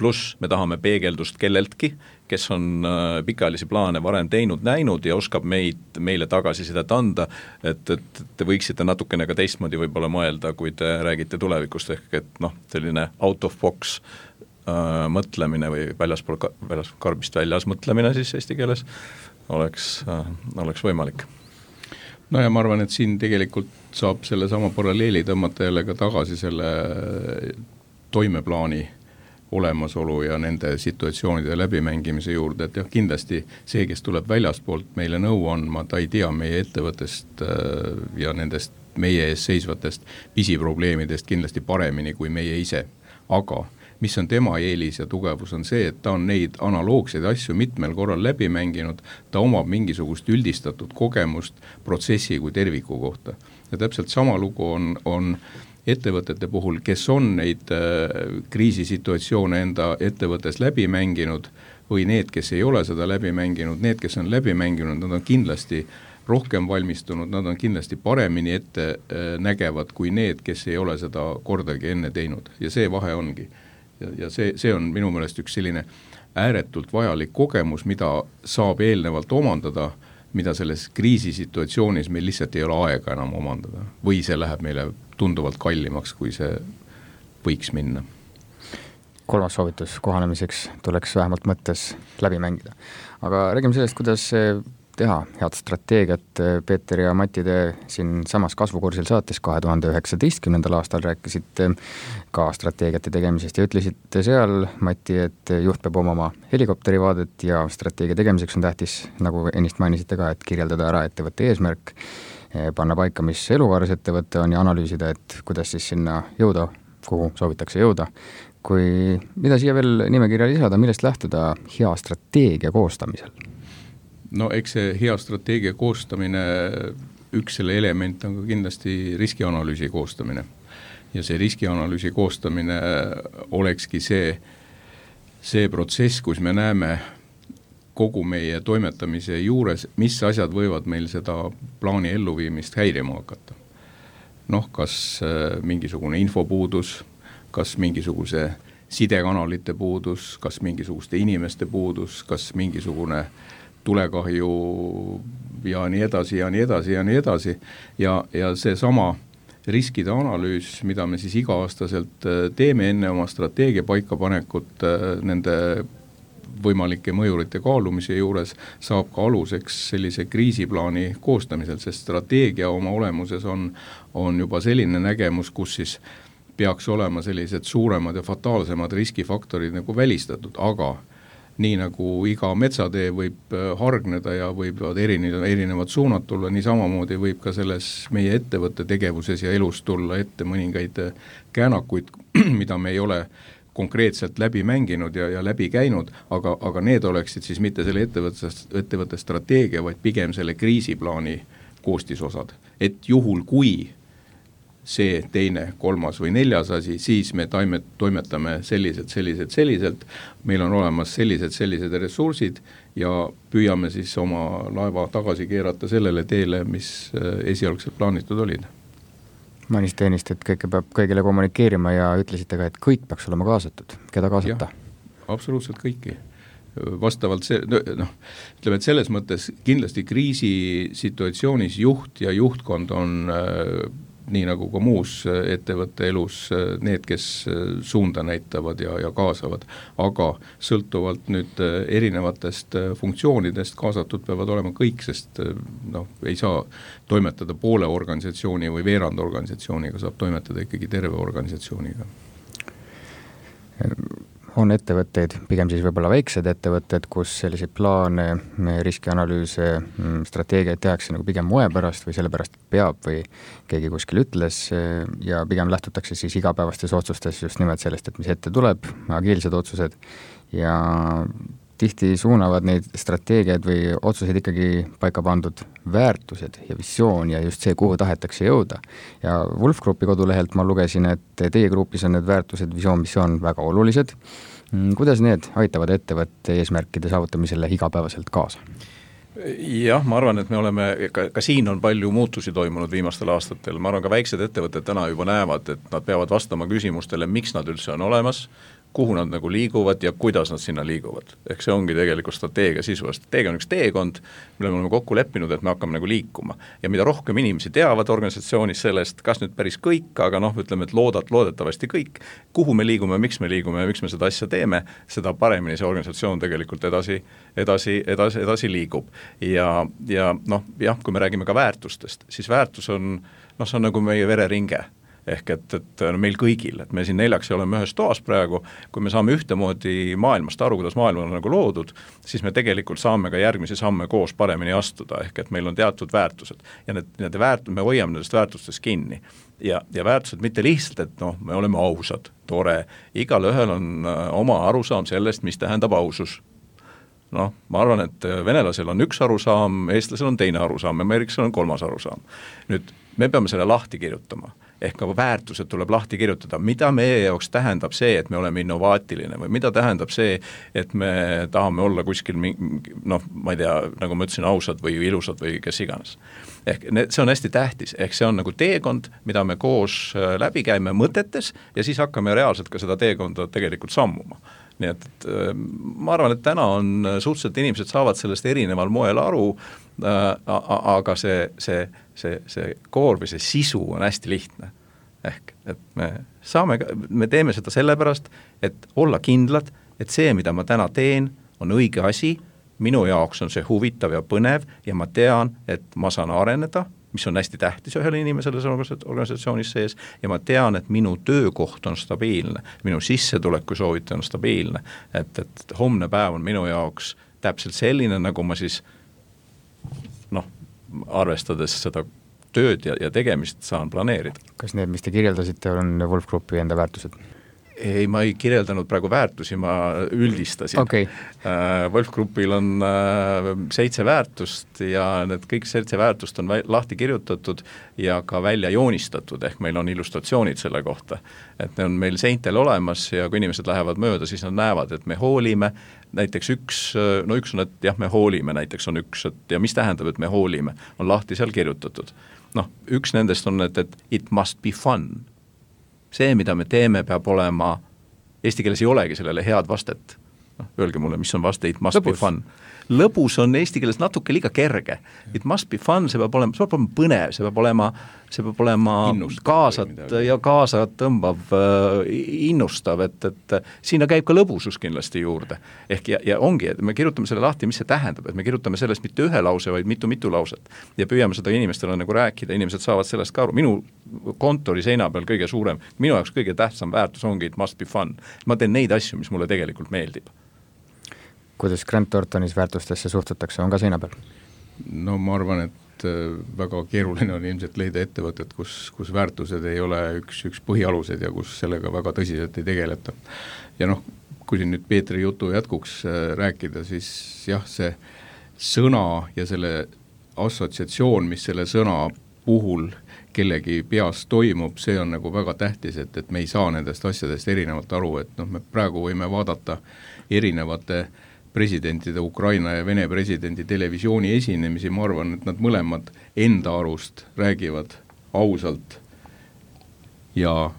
pluss me tahame peegeldust kelleltki, kes on pikaajalisi plaane varem teinud, näinud ja oskab meile tagasisidet anda, et te võiksite natukene ka teistmoodi võib-olla mõelda, kui te räägite tulevikust, ehk et selline out of box mõtlemine või väljaspool karbist väljas mõtlemine siis eesti keeles oleks võimalik. Ja ma arvan, et siin tegelikult saab selle sama paralleeli tõmmata jälle ka tagasi selle toimeplaani olemasolu ja nende situatsioonide läbimängimise juurde, et jah, kindlasti see, kes tuleb väljaspoolt meile nõu andma, ta ei tea meie ettevõttest ja nendest meie ees seisvatest pisiprobleemidest kindlasti paremini kui meie ise. Aga mis on tema eelis ja tugevus on see, et ta on neid analoogseid asju mitmel korral läbi mänginud, ta omab mingisugust üldistatud kogemust protsessi kui terviku kohta. Ja täpselt sama lugu on ettevõtete puhul, kes on neid kriisisituatsioone enda ettevõttes läbi mänginud või need, kes ei ole seda läbi mänginud, need, kes on läbi mänginud, nad on kindlasti rohkem valmistunud, nad on kindlasti paremini ette nägevad kui need, kes ei ole seda kordagi enne teinud ja see vahe ongi. Ja see on minu meelest üks selline ääretult vajalik kogemus, mida saab eelnevalt omandada, mida selles kriisisituatsioonis meil lihtsalt ei ole aega enam omandada või see läheb meile tunduvalt kallimaks, kui see võiks minna. Kolmas soovitus kohanemiseks tuleks vähemalt mõttes läbi mängida. Aga räägime sellest, kuidas teha head strateegiat. Peeter ja Mati, te siin samas kasvukursil saates 2019. aastal rääkisite ka strateegiate tegemisest ja ütlesite seal, Mati, et juht peab omama helikopterivaadet ja strateegia tegemiseks on tähtis, nagu ennist mainisite ka, et kirjeldada ära ettevõtte eesmärk, panna paika, mis eluvaaras ettevõtte on ja analüüsida, et kuidas siis sinna jõuda, kuhu soovitakse jõuda. Kui mida siia veel nimekirja lisada, millest lähtuda hea strateegia koostamisel? Eks see hea strateegia koostamine, üks selle element on ka kindlasti riskianalüüsi koostamine. Ja see riskianalüüsi koostamine olekski see protsess, kus me näeme kogu meie toimetamise juures, mis asjad võivad meil seda plaani elluviimist häirima hakata. Kas mingisugune infopuudus, kas mingisuguse sidekanalite puudus, kas mingisuguste inimeste puudus, kas mingisugune tulekahju ja nii edasi ja nii edasi ja nii edasi. Ja see sama riskide analüüs, mida me siis iga-aastaselt teeme enne oma strateegia paikapanekut nende võimalike mõjurite kaalumise juures, saab ka aluseks sellise kriisiplaani koostamisel, sest strateegia oma olemuses on juba selline nägemus, kus siis peaks olema sellised suuremad ja fataalsemad riskifaktorid nagu välistatud, aga nii nagu iga metsatee võib hargneda ja võivad erinevad suunad tulla, nii samamoodi võib ka selles meie ettevõtte tegevuses ja elus tulla ette mõningaid käänakuid, mida me ei ole konkreetselt läbi mänginud ja läbi käinud, aga need oleksid siis mitte selle ettevõtte strateegia, vaid pigem selle kriisiplaani koostisosad. Et juhul, kui see teine, kolmas või neljas asi, siis me toimetame selliselt, meil on olemas sellised ressursid ja püüame siis oma laeva tagasi keerata sellele teele, mis esialgselt plaanitud olid. Mainisite ennist, et kõike peab kõigile kommunikeerima ja ütlesite ka, et kõik peaks olema kaasatud. Keda kaasata? Absoluutselt kõiki. Vastavalt ütleme, et selles mõttes kindlasti kriisisituatsioonis juht ja juhtkond on nii nagu ka muus ettevõtte elus need, kes suunda näitavad ja kaasavad, aga sõltuvalt nüüd erinevatest funktsioonidest kaasatud peavad olema kõik, sest ei saa toimetada poole organisatsiooni või veerand organisatsiooniga, saab toimetada ikkagi terve organisatsiooniga. On ettevõtteid, pigem siis võib-olla väiksed ettevõtted, kus selliseid plaane, riskianalüüse, strateegiaid tehakse nagu pigem moe pärast või sellepärast peab või keegi kuskil ütles ja pigem lähtutakse siis igapäevastes otsustes just nimelt sellest, et mis ette tuleb, agiilsed otsused ja tihti suunavad neid strateegiaid või otsuseid ikkagi paika pandud väärtused ja visioon ja just see, kuhu tahetakse jõuda. Ja Wolf Groupi kodulehelt ma lugesin, et teie grupis on need väärtused, visioon, missioon väga olulised. Kuidas need aitavad ettevõtte eesmärkide saavutamisele igapäevaselt kaasa? Jah, ma arvan, et me oleme, ka siin on palju muutusi toimunud viimastel aastatel. Ma arvan, ka väiksed ettevõtted täna juba näevad, et nad peavad vastama küsimustele, miks nad üldse on olemas, kuhu nad nagu liiguvad ja kuidas nad sinna liiguvad. Ehk see ongi tegelikult strateegia sisu. Strateegia on üks teekond, mille me oleme kokku leppinud, et me hakkame nagu liikuma. Ja mida rohkem inimesi teavad organisatsioonis sellest, kas nüüd päris kõik, aga ütleme, et loodetavasti kõik, kuhu me liigume, miks me seda asja teeme, seda paremini see organisatsioon tegelikult edasi liigub. Ja kui me räägime ka väärtustest, siis väärtus on, see on nagu meie vereringe. Ehk et meil kõigil, et me siin 4 oleme ühes toas praegu, kui me saame ühtemoodi maailmast aru, kuidas maailm on nagu loodud, siis me tegelikult saame ka järgmisi samme koos paremini astuda, ehk et meil on teatud väärtused ja me hoiame nendest väärtustest kinni ja väärtused mitte lihtsalt, et me oleme ausad, tore, igal ühel on oma arusaam sellest, mis tähendab ausus. Ma arvan, et venelasel on üks arusaam, eestlasel on teine arusaam, ameeriklasel on 3. arusaam. Nüüd me peame selle lahti kirjutama, ehk ka väärtused tuleb lahti kirjutada, mida meie jaoks tähendab see, et me oleme innovaatiline või mida tähendab see, et me tahame olla kuskil, ma ei tea, nagu ma ütlesin, ausad või ilusad või kes iganes. Ehk see on hästi tähtis, ehk see on nagu teekond, mida me koos läbi käime mõtetes ja siis hakkame reaalselt ka seda teekonda tegelikult sammuma. Nii et ma arvan, et täna on suhteliselt inimesed saavad sellest erineval moel aru, aga see koor või see sisu on hästi lihtne. Ehk, et me teeme seda sellepärast, et olla kindlad, et see, mida ma täna teen, on õige asi, minu jaoks on see huvitav ja põnev ja ma tean, et ma saan areneda, mis on hästi tähtis ühele inimesele organisatsioonis sees ja ma tean, et minu töökoht on stabiilne, minu sissetuleku soovitaja on stabiilne, et homne päev on minu jaoks täpselt selline, nagu ma siis arvestades seda tööd ja tegemist saan planeerida. Kas need, mis te kirjeldasite, on Wolf Groupi enda väärtused? Ei, ma ei kirjeldanud praegu väärtusi, ma üldistasin. Okay. Wolf Groupil on 7 väärtust ja need kõik 7 väärtust on lahti kirjutatud ja ka välja joonistatud, ehk meil on illustratsioonid selle kohta. Et ne on meil seintel olemas ja kui inimesed lähevad mööda, siis nad näevad, et me hoolime. Näiteks üks on, et jah, me hoolime, näiteks on üks, et ja mis tähendab, et me hoolime, on lahti seal kirjutatud. Üks nendest on, et it must be fun. See, mida me teeme, peab olema, eesti keeles ei olegi sellele head vastet. Öelge mulle, mis on vaste, it must be fun. Lõbus on eesti keeles natuke liiga kerge. It must be fun, see peab olema põnev, see peab olema kaasat tõmbav, innustav, et sinna käib ka lõbusus kindlasti juurde. Ehk ja ongi, et me kirjutame selle lahti, mis see tähendab, et me kirjutame sellest mitte ühe lause, vaid mitu lauset. Ja püüame seda inimestele nagu rääkida, inimesed saavad sellest ka aru. Minu kontori seina peal kõige suurem, minu jaoks kõige tähtsam väärtus ongi, it must be fun. Ma teen neid asju, mis mulle tegelikult meeldib. kuidas Grant Thorntonis väärtustesse suhtutakse, on ka seina peal? No ma arvan, et väga keeruline on ilmselt leida ettevõtet, kus väärtused ei ole üks põhialused ja kus sellega väga tõsiselt ei tegeleta. Ja noh, kui siin nüüd Peetri jutu jätkuks rääkida, siis jah, see sõna ja selle assotsiatsioon, mis selle sõna puhul kellegi peas toimub, see on nagu väga tähtis, et me ei saa nendest asjadest erinevalt aru, et noh, me praegu võime vaadata erinevate presidentide, Ukraina ja Vene presidendi televisiooni esinemisi, ma arvan, et nad mõlemad enda arust räägivad ausalt ja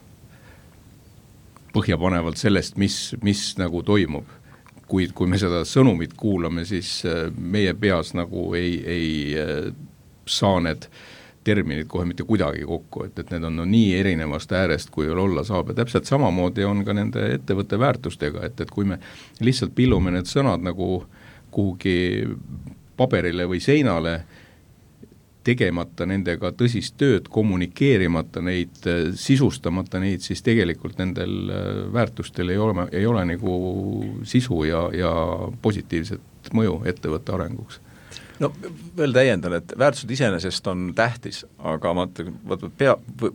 põhjapanevalt sellest, mis nagu toimub. Kui me seda sõnumit kuulame, siis meie peas nagu ei saa need terminid kohe mitte kuidagi kokku, et need on nii erinevast äärest, kui olla saab. Ja täpselt samamoodi on ka nende ettevõtte väärtustega, et kui me lihtsalt pillume need sõnad nagu kuhugi paberile või seinale, tegemata nendega tõsist tööd, kommunikeerimata neid, sisustamata neid, siis tegelikult nendel väärtustel ei ole nagu sisu ja positiivset mõju ettevõtte arenguks. No veel täiendan, et väärtused iseenesest on tähtis, aga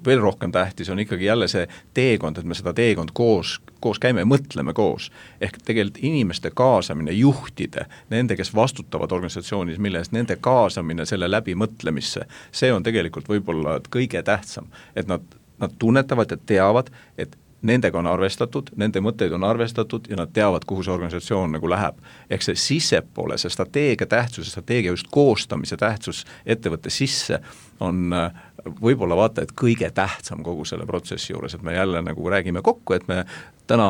veel rohkem tähtis on ikkagi jälle see teekond, et me seda teekond koos käime ja mõtleme koos. Ehk tegelikult inimeste kaasamine, juhtide, nende, kes vastutavad organisatsioonis, mille eest nende kaasamine selle läbimõtlemisse, see on tegelikult võib-olla kõige tähtsam, et nad tunnetavad ja teavad, et nendega on arvestatud, nende mõtteid on arvestatud ja nad teavad, kuhu see organisatsioon nagu läheb. Ehk see sissepoole, see strateegia tähtsus, strateegia just koostamise tähtsus ettevõtte sisse on võib-olla vaata, et kõige tähtsam kogu selle protsessi juures, et me jälle nagu räägime kokku, et me täna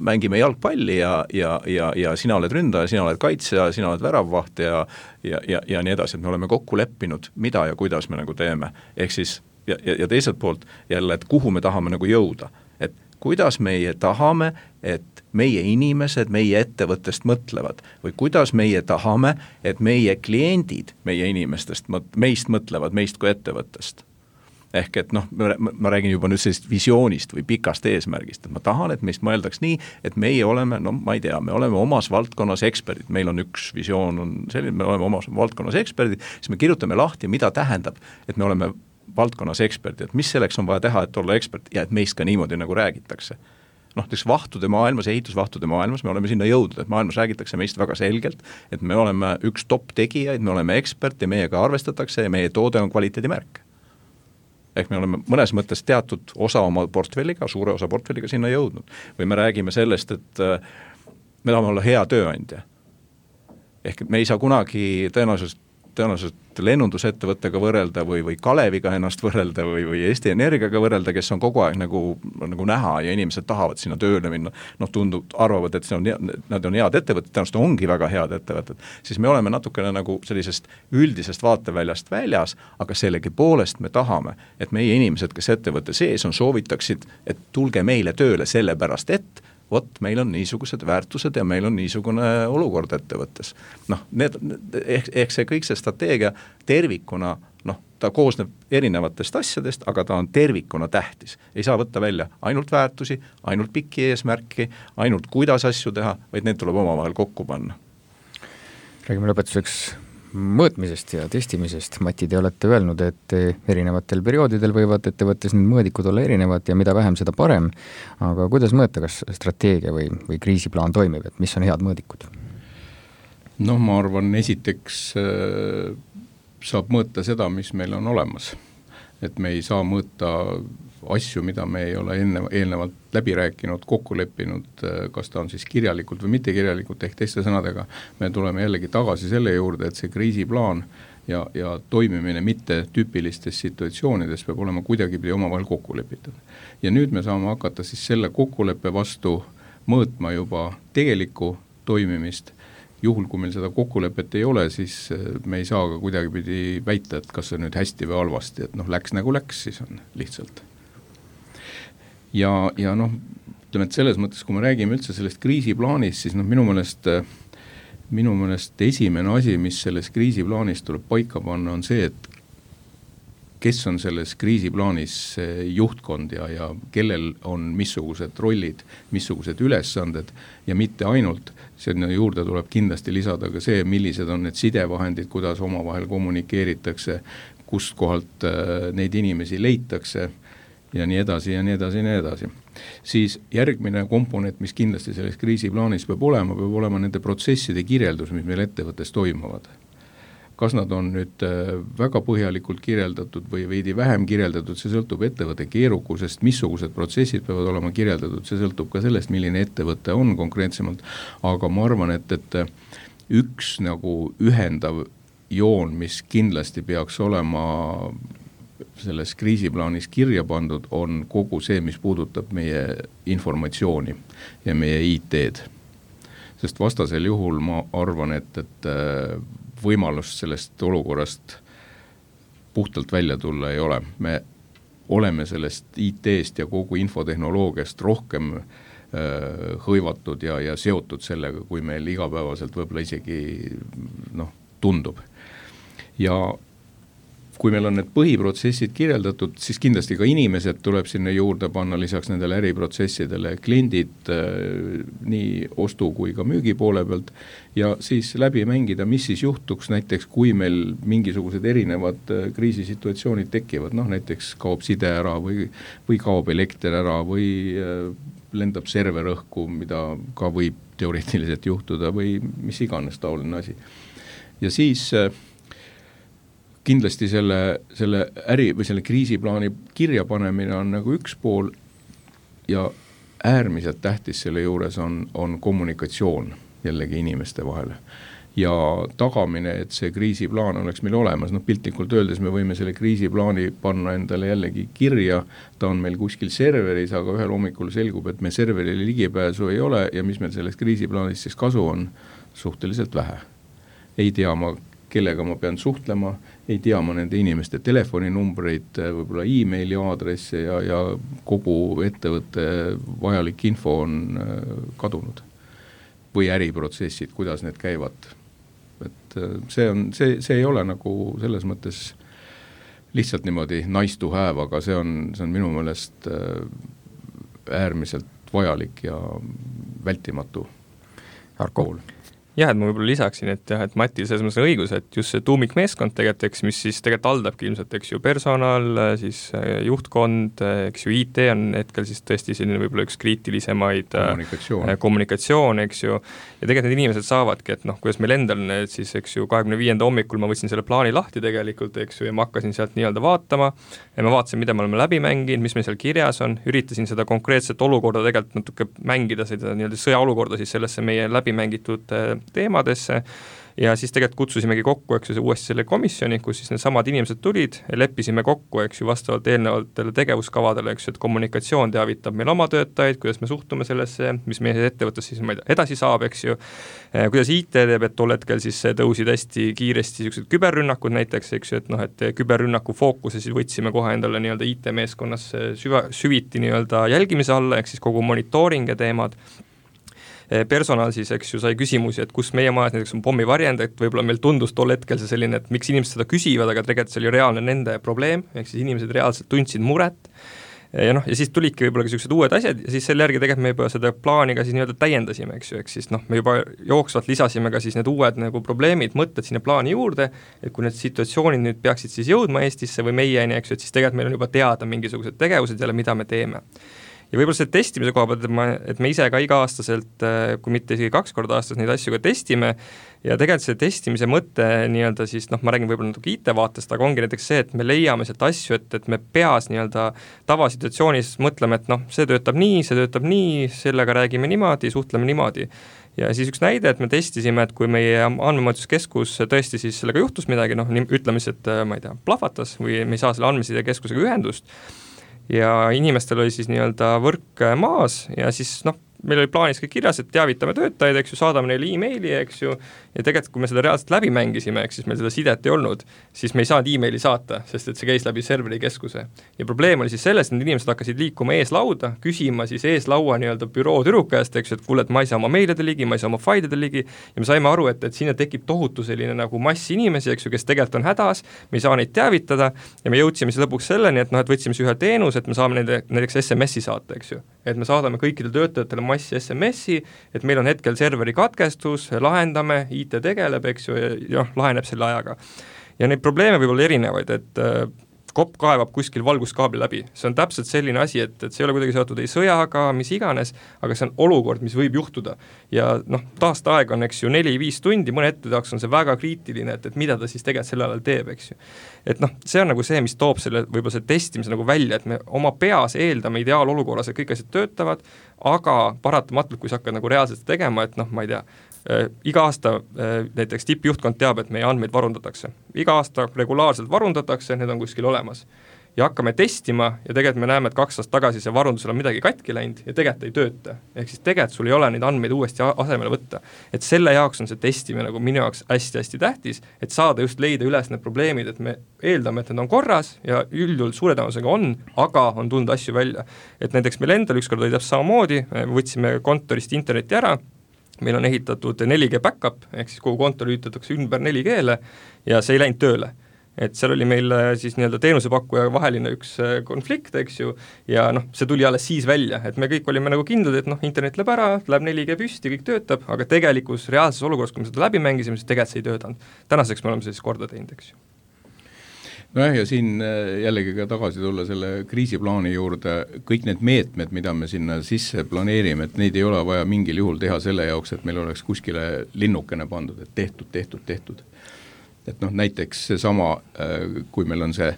mängime jalgpalli ja sina oled ründaja, sina oled kaitsja, sina oled väravvaht ja nii edasi, et me oleme kokku leppinud, mida ja kuidas me nagu teeme. Ehk siis ja teiselt poolt jälle, et kuhu me tahame nagu jõuda. Et kuidas meie tahame, et meie inimesed meie ettevõttest mõtlevad või kuidas meie tahame, et meie kliendid meie inimestest, meist mõtlevad, meist kui ettevõttest. Ehk et noh, ma räägin juba nüüd sellist visioonist või pikast eesmärgist, et ma tahan, et meist mõeldaks nii, et meie oleme, no ma ei tea, me oleme omas valdkonnas eksperdid, meil on üks visioon, on selline, me oleme omas valdkonnas eksperdid, siis me kirjutame lahti, mida tähendab, et me oleme valdkonnas eksperdi, et mis selleks on vaja teha, et olla ekspert ja et meist ka niimoodi nagu räägitakse. Noh, vahtude maailmas, ehitusvahtude maailmas, me oleme sinna jõudnud, et maailmas räägitakse meist väga selgelt, et me oleme üks top tegijaid, me oleme ekspert ja meiega arvestatakse ja meie toode on kvaliteedimärk. Ehk me oleme mõnes mõttes teatud osa oma portfelliga, suure osa portfelliga sinna jõudnud. Või me räägime sellest, et me tahame olla hea tööandja. Ehk me ei saa kunagi tõenäoliselt lennundusettevõttega võrrelda või Kaleviga ennast võrrelda või Eesti Energiaga võrrelda, kes on kogu aeg nagu näha ja inimesed tahavad sinna tööle minna, noh arvavad, et nad on head ettevõtted, tõenäoliselt ongi väga head ettevõtted, siis me oleme natukene nagu sellisest üldisest vaateväljast väljas, aga sellegipoolest me tahame, et meie inimesed, kes ettevõtte sees on, soovitaksid, et tulge meile tööle sellepärast, et vot meil on niisugused väärtused ja meil on niisugune olukord ettevõttes. Noh, ehk see kõik see strateegia tervikuna, noh, ta koosneb erinevatest asjadest, aga ta on tervikuna tähtis. Ei saa võtta välja ainult väärtusi, ainult pikki eesmärki, ainult kuidas asju teha, vaid need tuleb omavahel kokku panna. Räägime lõpetuseks mõõtmisest ja testimisest. Mati, te olete öelnud, et erinevatel perioodidel võivad ettevõttes need mõõdikud olla erinevad ja mida vähem, seda parem. Aga kuidas mõõta, kas strateegia või kriisiplaan toimib, et mis on head mõõdikud? No ma arvan, esiteks saab mõõta seda, mis meil on olemas. Et me ei saa mõõta asju, mida me ei ole eelnevalt läbi rääkinud, kokku leppinud, kas ta on siis kirjalikult või mitte kirjalikult, ehk teiste sõnadega me tuleme jällegi tagasi selle juurde, et see kriisiplaan ja toimimine mitte tüüpilistes situatsioonides peab olema kuidagipidi omavahel kokku lepitud. Ja nüüd me saame hakata siis selle kokkuleppe vastu mõõtma juba tegelikku toimimist. Juhul, kui meil seda kokkulepet ei ole, siis me ei saa ka kuidagipidi väita, et kas see nüüd hästi või halvasti, et noh, läks nagu läks, siis on lihtsalt. Ja noh, ütleme, et selles mõttes, kui me räägime üldse sellest kriisiplaanist, siis noh, minu meelest esimene asi, mis selles kriisiplaanis tuleb paika panna, on see, et kes on selles kriisiplaanis juhtkond ja kellel on missugused rollid, missugused ülesanded ja mitte ainult, sinna juurde tuleb kindlasti lisada ka see, millised on need sidevahendid, kuidas omavahel kommunikeeritakse, kust kohalt neid inimesi leitakse ja nii edasi ja nii edasi ja nii edasi. Siis järgmine komponent, mis kindlasti selles kriisiplaanis peab olema nende protsesside kirjeldus, mis meil ettevõttes toimuvad. Kas nad on nüüd väga põhjalikult kirjeldatud või veidi vähem kirjeldatud, see sõltub ettevõtte keerukusest, missugused protsessid peavad olema kirjeldatud, see sõltub ka sellest, milline ettevõte on konkreetsemalt, aga ma arvan, et üks nagu ühendav joon, mis kindlasti peaks olema selles kriisiplaanis kirja pandud, on kogu see, mis puudutab meie informatsiooni ja meie IT-d. Sest vastasel juhul ma arvan, et võimalust sellest olukorrast puhtalt välja tulla ei ole. Me oleme sellest IT-st ja kogu infotehnoloogiast rohkem hõivatud ja seotud sellega, kui meil igapäevaselt võib-olla isegi tundub. Ja kui meil on need põhiprotsessid kirjeldatud, siis kindlasti ka inimesed tuleb sinna juurde panna lisaks nendele äriprotsessidele, kliendid nii ostu kui ka müügi poole pealt ja siis läbi mängida, mis siis juhtuks näiteks, kui meil mingisugused erinevad kriisisituatsioonid tekivad, näiteks kaob side ära või kaob elekter ära või lendab server õhku, mida ka võib teoreetiliselt juhtuda või mis iganes taoline asi. Ja siis kindlasti selle äri või selle kriisiplaani kirjapanemine on nagu üks pool ja äärmiselt tähtis selle juures on kommunikatsioon jällegi inimeste vahel. Ja tagamine, et see kriisiplaan oleks meil olemas, piltlikult öeldes me võime selle kriisiplaani panna endale jällegi kirja, ta on meil kuskil serveris, aga ühel hommikul selgub, et me serverile ligipääsu ei ole ja mis meil sellest kriisiplaanist siis kasu on, suhteliselt vähe. Ei tea ma, kellega ma pean suhtlema, ei tea ma nende inimeste telefoninumbreid, võib-olla e-maili aadresse ja kogu ettevõtte vajalik info on kadunud. Või äriprotsessid, kuidas need käivad. Et see ei ole nagu selles mõttes lihtsalt niimoodi nice to have, aga see on minu meelest äärmiselt vajalik ja vältimatu pool. Jah, et ma võib-olla lisaksin, et Matil selles mõttes on õigus, et just see tuumikmeeskond tegelikult, mis siis tegelikult haldabki ilmselt, ju personal, siis juhtkond, IT on hetkel siis tõesti selline võib-olla üks kriitilisemaid kommunikatsioon, ju. Ja tegelikult need inimesed saavadki, et kuidas meil endal siis, 25. hommikul ma võtsin selle plaani lahti tegelikult, ja ma hakkasin sealt nii-öelda vaatama ja ma vaatasin, mida me oleme läbi mänginud, mis meil seal kirjas on, üritasin seda konkreetset olukorda tegelikult natuke mängida, seda nii-öelda sõjaolukorda siis sellesse meie läbi mängitud teemadesse ja siis tegelikult kutsusimegi kokku, uuesti selle komisjoni, kus siis need samad inimesed tulid, leppisime kokku, vastavalt eelnevatele tegevuskavadele, et kommunikatsioon teavitab meil oma töötajaid, kuidas me suhtume sellesse, mis meie ettevõttes siis edasi saab, kuidas IT teeb, et tol hetkel siis tõusid hästi kiiresti sellised küberrünnakud näiteks, et küberrünnaku fookuse siis võtsime kohe endale nii-öelda IT-meeskonnas süviti nii-öelda jälgimise alla, siis kogu monitooring ja teemad. Personal siis, sai küsimusi, et kus meie majas näiteks on pommivarjend, et võib-olla meil tundus tol hetkel see selline, et miks inimesed seda küsivad, aga tegelikult see oli reaalne nende probleem, siis inimesed reaalselt tundsid muret. Ja siis tulidki võib-olla sellised uued asjad ja siis selle järgi tegelikult me juba seda plaani ka siis nii-öelda täiendasime, siis me juba jooksvalt lisasime ka siis need uued nagu probleemid, mõtted sinna plaani juurde, et kui need situatsioonid nüüd peaksid siis jõudma Eestisse või meieni, et siis tegelikult meil on juba teada mingisugused tegevused jälle, mida me teeme. Ja võib-olla see testimise koha pealt, et me ise ka iga-aastaselt, kui mitte isegi 2 korda aastas neid asju ka testime ja tegelikult see testimise mõte nii-öelda siis, ma räägin võib-olla natuke IT-vaatest, aga ongi näiteks see, et me leiame sealt asju, et me peas nii-öelda tavasituatsioonis mõtleme, et see töötab nii, sellega räägime niimoodi, suhtleme niimoodi. Ja siis üks näide, et me testisime, et kui meie andmemõõtuskeskus tõesti siis sellega juhtus midagi, ütleme siis, et ma ei tea, plahvatas või me ei saa selle andmesidekeskusega ühendust, ja inimestel oli siis nii-öelda võrk maas ja siis meil oli plaanis kõik kirjas, et teavitame töötajaid, eks ju, saadame neile e-maili, eks ju, ja tegelikult kui me seda reaalselt läbi mängisime, eks siis meil seda sidet ei olnud, siis me ei saanud e-maili saata, sest et see käis läbi serveri keskuse. Ja probleem oli siis selles, et need inimesed hakkasid liikuma eeslauda, küsima siis eeslaua nii-öelda büroo tüdrukast, eks ju, et kuule, et ma ei saa oma meilide ligi, ma ei saa oma failide ligi, ja me saime aru, et sinna tekib tohutu selline nagu mass inimesi, eks ju, kes tegelikult on hädas, me ei saa neid teavitada ja me jõudsime siis lõpuks selleni, et et võtsime ühe teenus, et me saame nende näiteks SMS-i saata, eks ju. Et me saadame kõikidele töötajatele massi SMS-i, et meil on hetkel serveri katkestus, lahendame, IT tegeleb, eks ju, ja laheneb selle ajaga. Ja neid probleeme võib olla erinevaid, et kopp kaevab kuskil valguskaabli läbi. See on täpselt selline asi, et see ei ole kuidagi seotud ei sõjaga, mis iganes, aga see on olukord, mis võib juhtuda. Ja taasteaeg on, eks ju, 4-5 tundi, mõne ette jaoks on see väga kriitiline, et mida ta siis tegelikult selle ajal teeb, eks ju. Et see on nagu see, mis toob selle, võib-olla see testimise nagu välja, et me oma peas eeldame ideaalolukorras, et kõik asjad töötavad, aga paratamatult, kui sa hakkad nagu reaalselt tegema, et ma ei tea, iga aasta näiteks tippjuhtkond teab, et meie andmeid varundatakse. Iga aasta regulaarselt varundatakse, need on kuskil olemas. Ja hakkame testima ja tegelikult me näeme, et 2 aastat tagasi see varundusel on midagi katki läinud ja tegelikult ei tööta. Ehk siis tegelikult sul ei ole neid andmeid uuesti asemele võtta. Et selle jaoks on see testimine nagu minu jaoks hästi-hästi tähtis, et saada just leida üles need probleemid, et me eeldame, et need on korras ja üldjuhul suure tõenäosusega on, aga on tulnud asju välja. Et näiteks meil endal ükskord oli täpselt samamoodi, võtsime kontorist interneti ära, meil on ehitatud 4G backup, ehk siis kogu kontor ühitatakse ümber 4G-le ja see ei läinud tööle. Et seal oli meil siis nii-öelda teenusepakkuja vaheline üks konflikt, eks ju, ja see tuli alles siis välja, et me kõik olime nagu kindlad, et internet läheb ära, läheb 4G püsti, kõik töötab, aga tegelikus reaalses olukorras, kui me seda läbi mängisime, siis tegelikult see ei töötanud. Tänaseks me oleme siis korda teinud, eks ju. Nojah, ja siin jällegi ka tagasi tulla selle kriisiplaani juurde, kõik need meetmed, mida me sinna sisse planeerime, et neid ei ole vaja mingil juhul teha selle jaoks, et meil oleks kuskile linnukene pandud, et tehtud. Et näiteks seesama, kui meil on see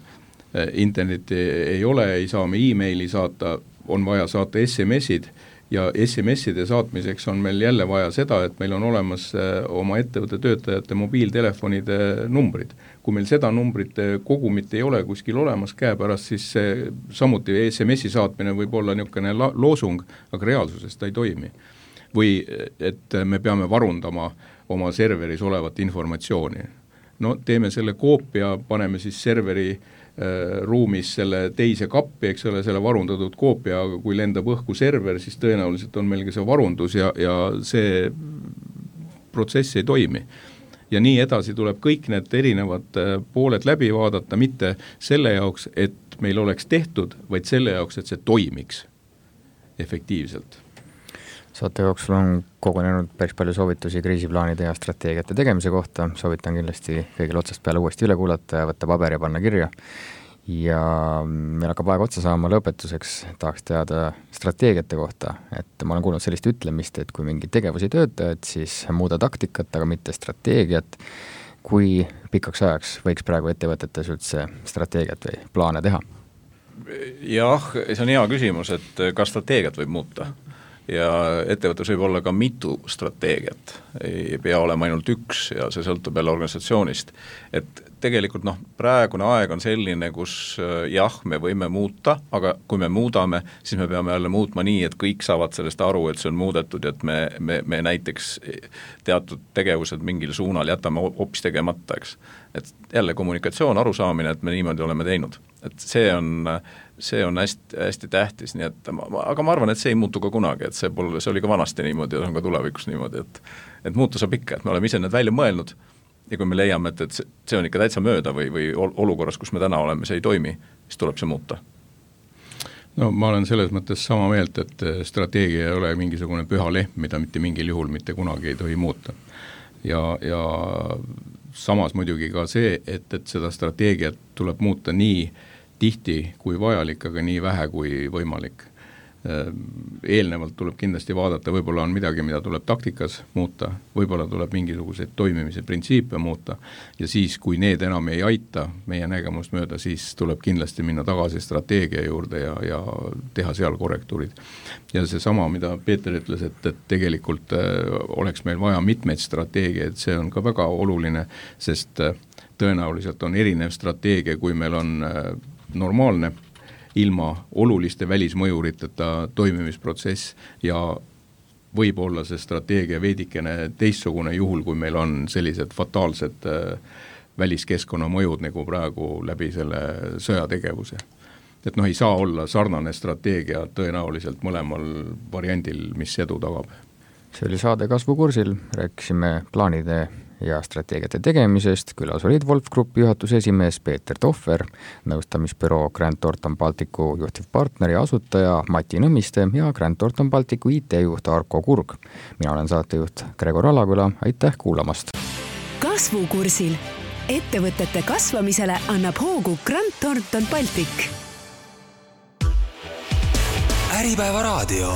interneti ei ole, ei saa me e-maili saata, on vaja saata SMS-id ja SMS-ide saatmiseks on meil jälle vaja seda, et meil on olemas oma ettevõtte töötajate mobiiltelefonide numbrid. Kui meil seda numbrite kogumit ei ole kuskil olemas käepärast, siis samuti SMS-i saatmine võib olla niisugune loosung, aga reaalsuses ta ei toimi. Või et me peame varundama oma serveris olevat informatsiooni. No teeme selle koopia, paneme siis serveri ruumis selle teise kappi, eks ole, selle varundatud koopia, aga kui lendab õhku server, siis tõenäoliselt on meil ka see varundus ja see protsess ei toimi. Ja nii edasi tuleb kõik need erinevad pooled läbi vaadata, mitte selle jaoks, et meil oleks tehtud, vaid selle jaoks, et see toimiks efektiivselt. Saate jooksul on kogunenud päris palju soovitusi kriisiplaanide ja strateegiate tegemise kohta, soovitan kindlasti kõigil otsast peale uuesti üle kuulata ja võtta paber ja panna kirja. Ja meil hakkab aeg otsa saama, lõpetuseks tahaks teada strateegiate kohta, et ma olen kuulnud sellist ütlemist, et kui mingi tegevus ei tööta, et siis muuda taktikat, aga mitte strateegiat. Kui pikaks ajaks võiks praegu ettevõtetes üldse strateegiat või plaane teha? Jah, see on hea küsimus, et kas strateegiat võib muuta. Ja ettevõttes võib olla ka mitu strateegiat, ei pea olema ainult üks ja see sõltub jälle organisatsioonist. Et tegelikult praegune aeg on selline, kus jah, me võime muuta, aga kui me muudame, siis me peame jälle muutma nii, et kõik saavad sellest aru, et see on muudetud, et me näiteks teatud tegevused mingil suunal jätame hoopis tegemata, eks. Et jälle kommunikatsioon, arusaamine, et me niimoodi oleme teinud. Et see on hästi, hästi tähtis, nii et aga ma arvan, et see ei muutu ka kunagi, et see oli ka vanasti niimoodi ja on ka tulevikus niimoodi, et muuta saab ikka, et me oleme ise need välja mõelnud ja kui me leiame, et see on ikka täitsa mööda või olukorras, kus me täna oleme, see ei toimi, siis tuleb see muuta. No ma olen selles mõttes sama meelt, et strateegia ei ole mingisugune püha lehm, mida mitte mingil juhul mitte kunagi ei tohi muuta. Ja samas muidugi ka see, et seda strateegiat tuleb muuta nii tihti kui vajalik, aga nii vähe kui võimalik. Eelnevalt tuleb kindlasti vaadata, võib-olla on midagi, mida tuleb taktikas muuta, võib-olla tuleb mingisuguseid toimimise printsiipe muuta ja siis, kui need enam ei aita meie nägemust mööda, siis tuleb kindlasti minna tagasi strateegia juurde ja teha seal korrektuurid. Ja see sama, mida Peeter ütles, et tegelikult oleks meil vaja mitmeid strateegiaid, see on ka väga oluline, sest tõenäoliselt on erinev strateegia, kui meil on normaalne ilma oluliste välismõjuriteta toimimisprotsess ja võib olla see strateegia veidikene teistsugune juhul, kui meil on sellised fataalsed väliskeskkonna mõjud nagu praegu läbi selle sõjategevuse. Et ei saa olla sarnane strateegia tõenäoliselt mõlemal variandil, mis edu tagab. See oli saade Kasvukursil, rääkisime plaanide ja strateegiate tegemisest, külas olid Wolf Grupi juhatuse esimees Peeter Tohver, nõustamisbüroo Grant Thornton Balticu juhtivpartner ja asutaja Mati Nõmmiste ja Grant Thornton Balticu IT-juht Arko Kurg. Mina olen saatejuht Gregor Alaküla, aitäh kuulamast! Kasvukursil. Ettevõtete kasvamisele annab hoogu Grant Thornton Baltic. Äripäeva raadio.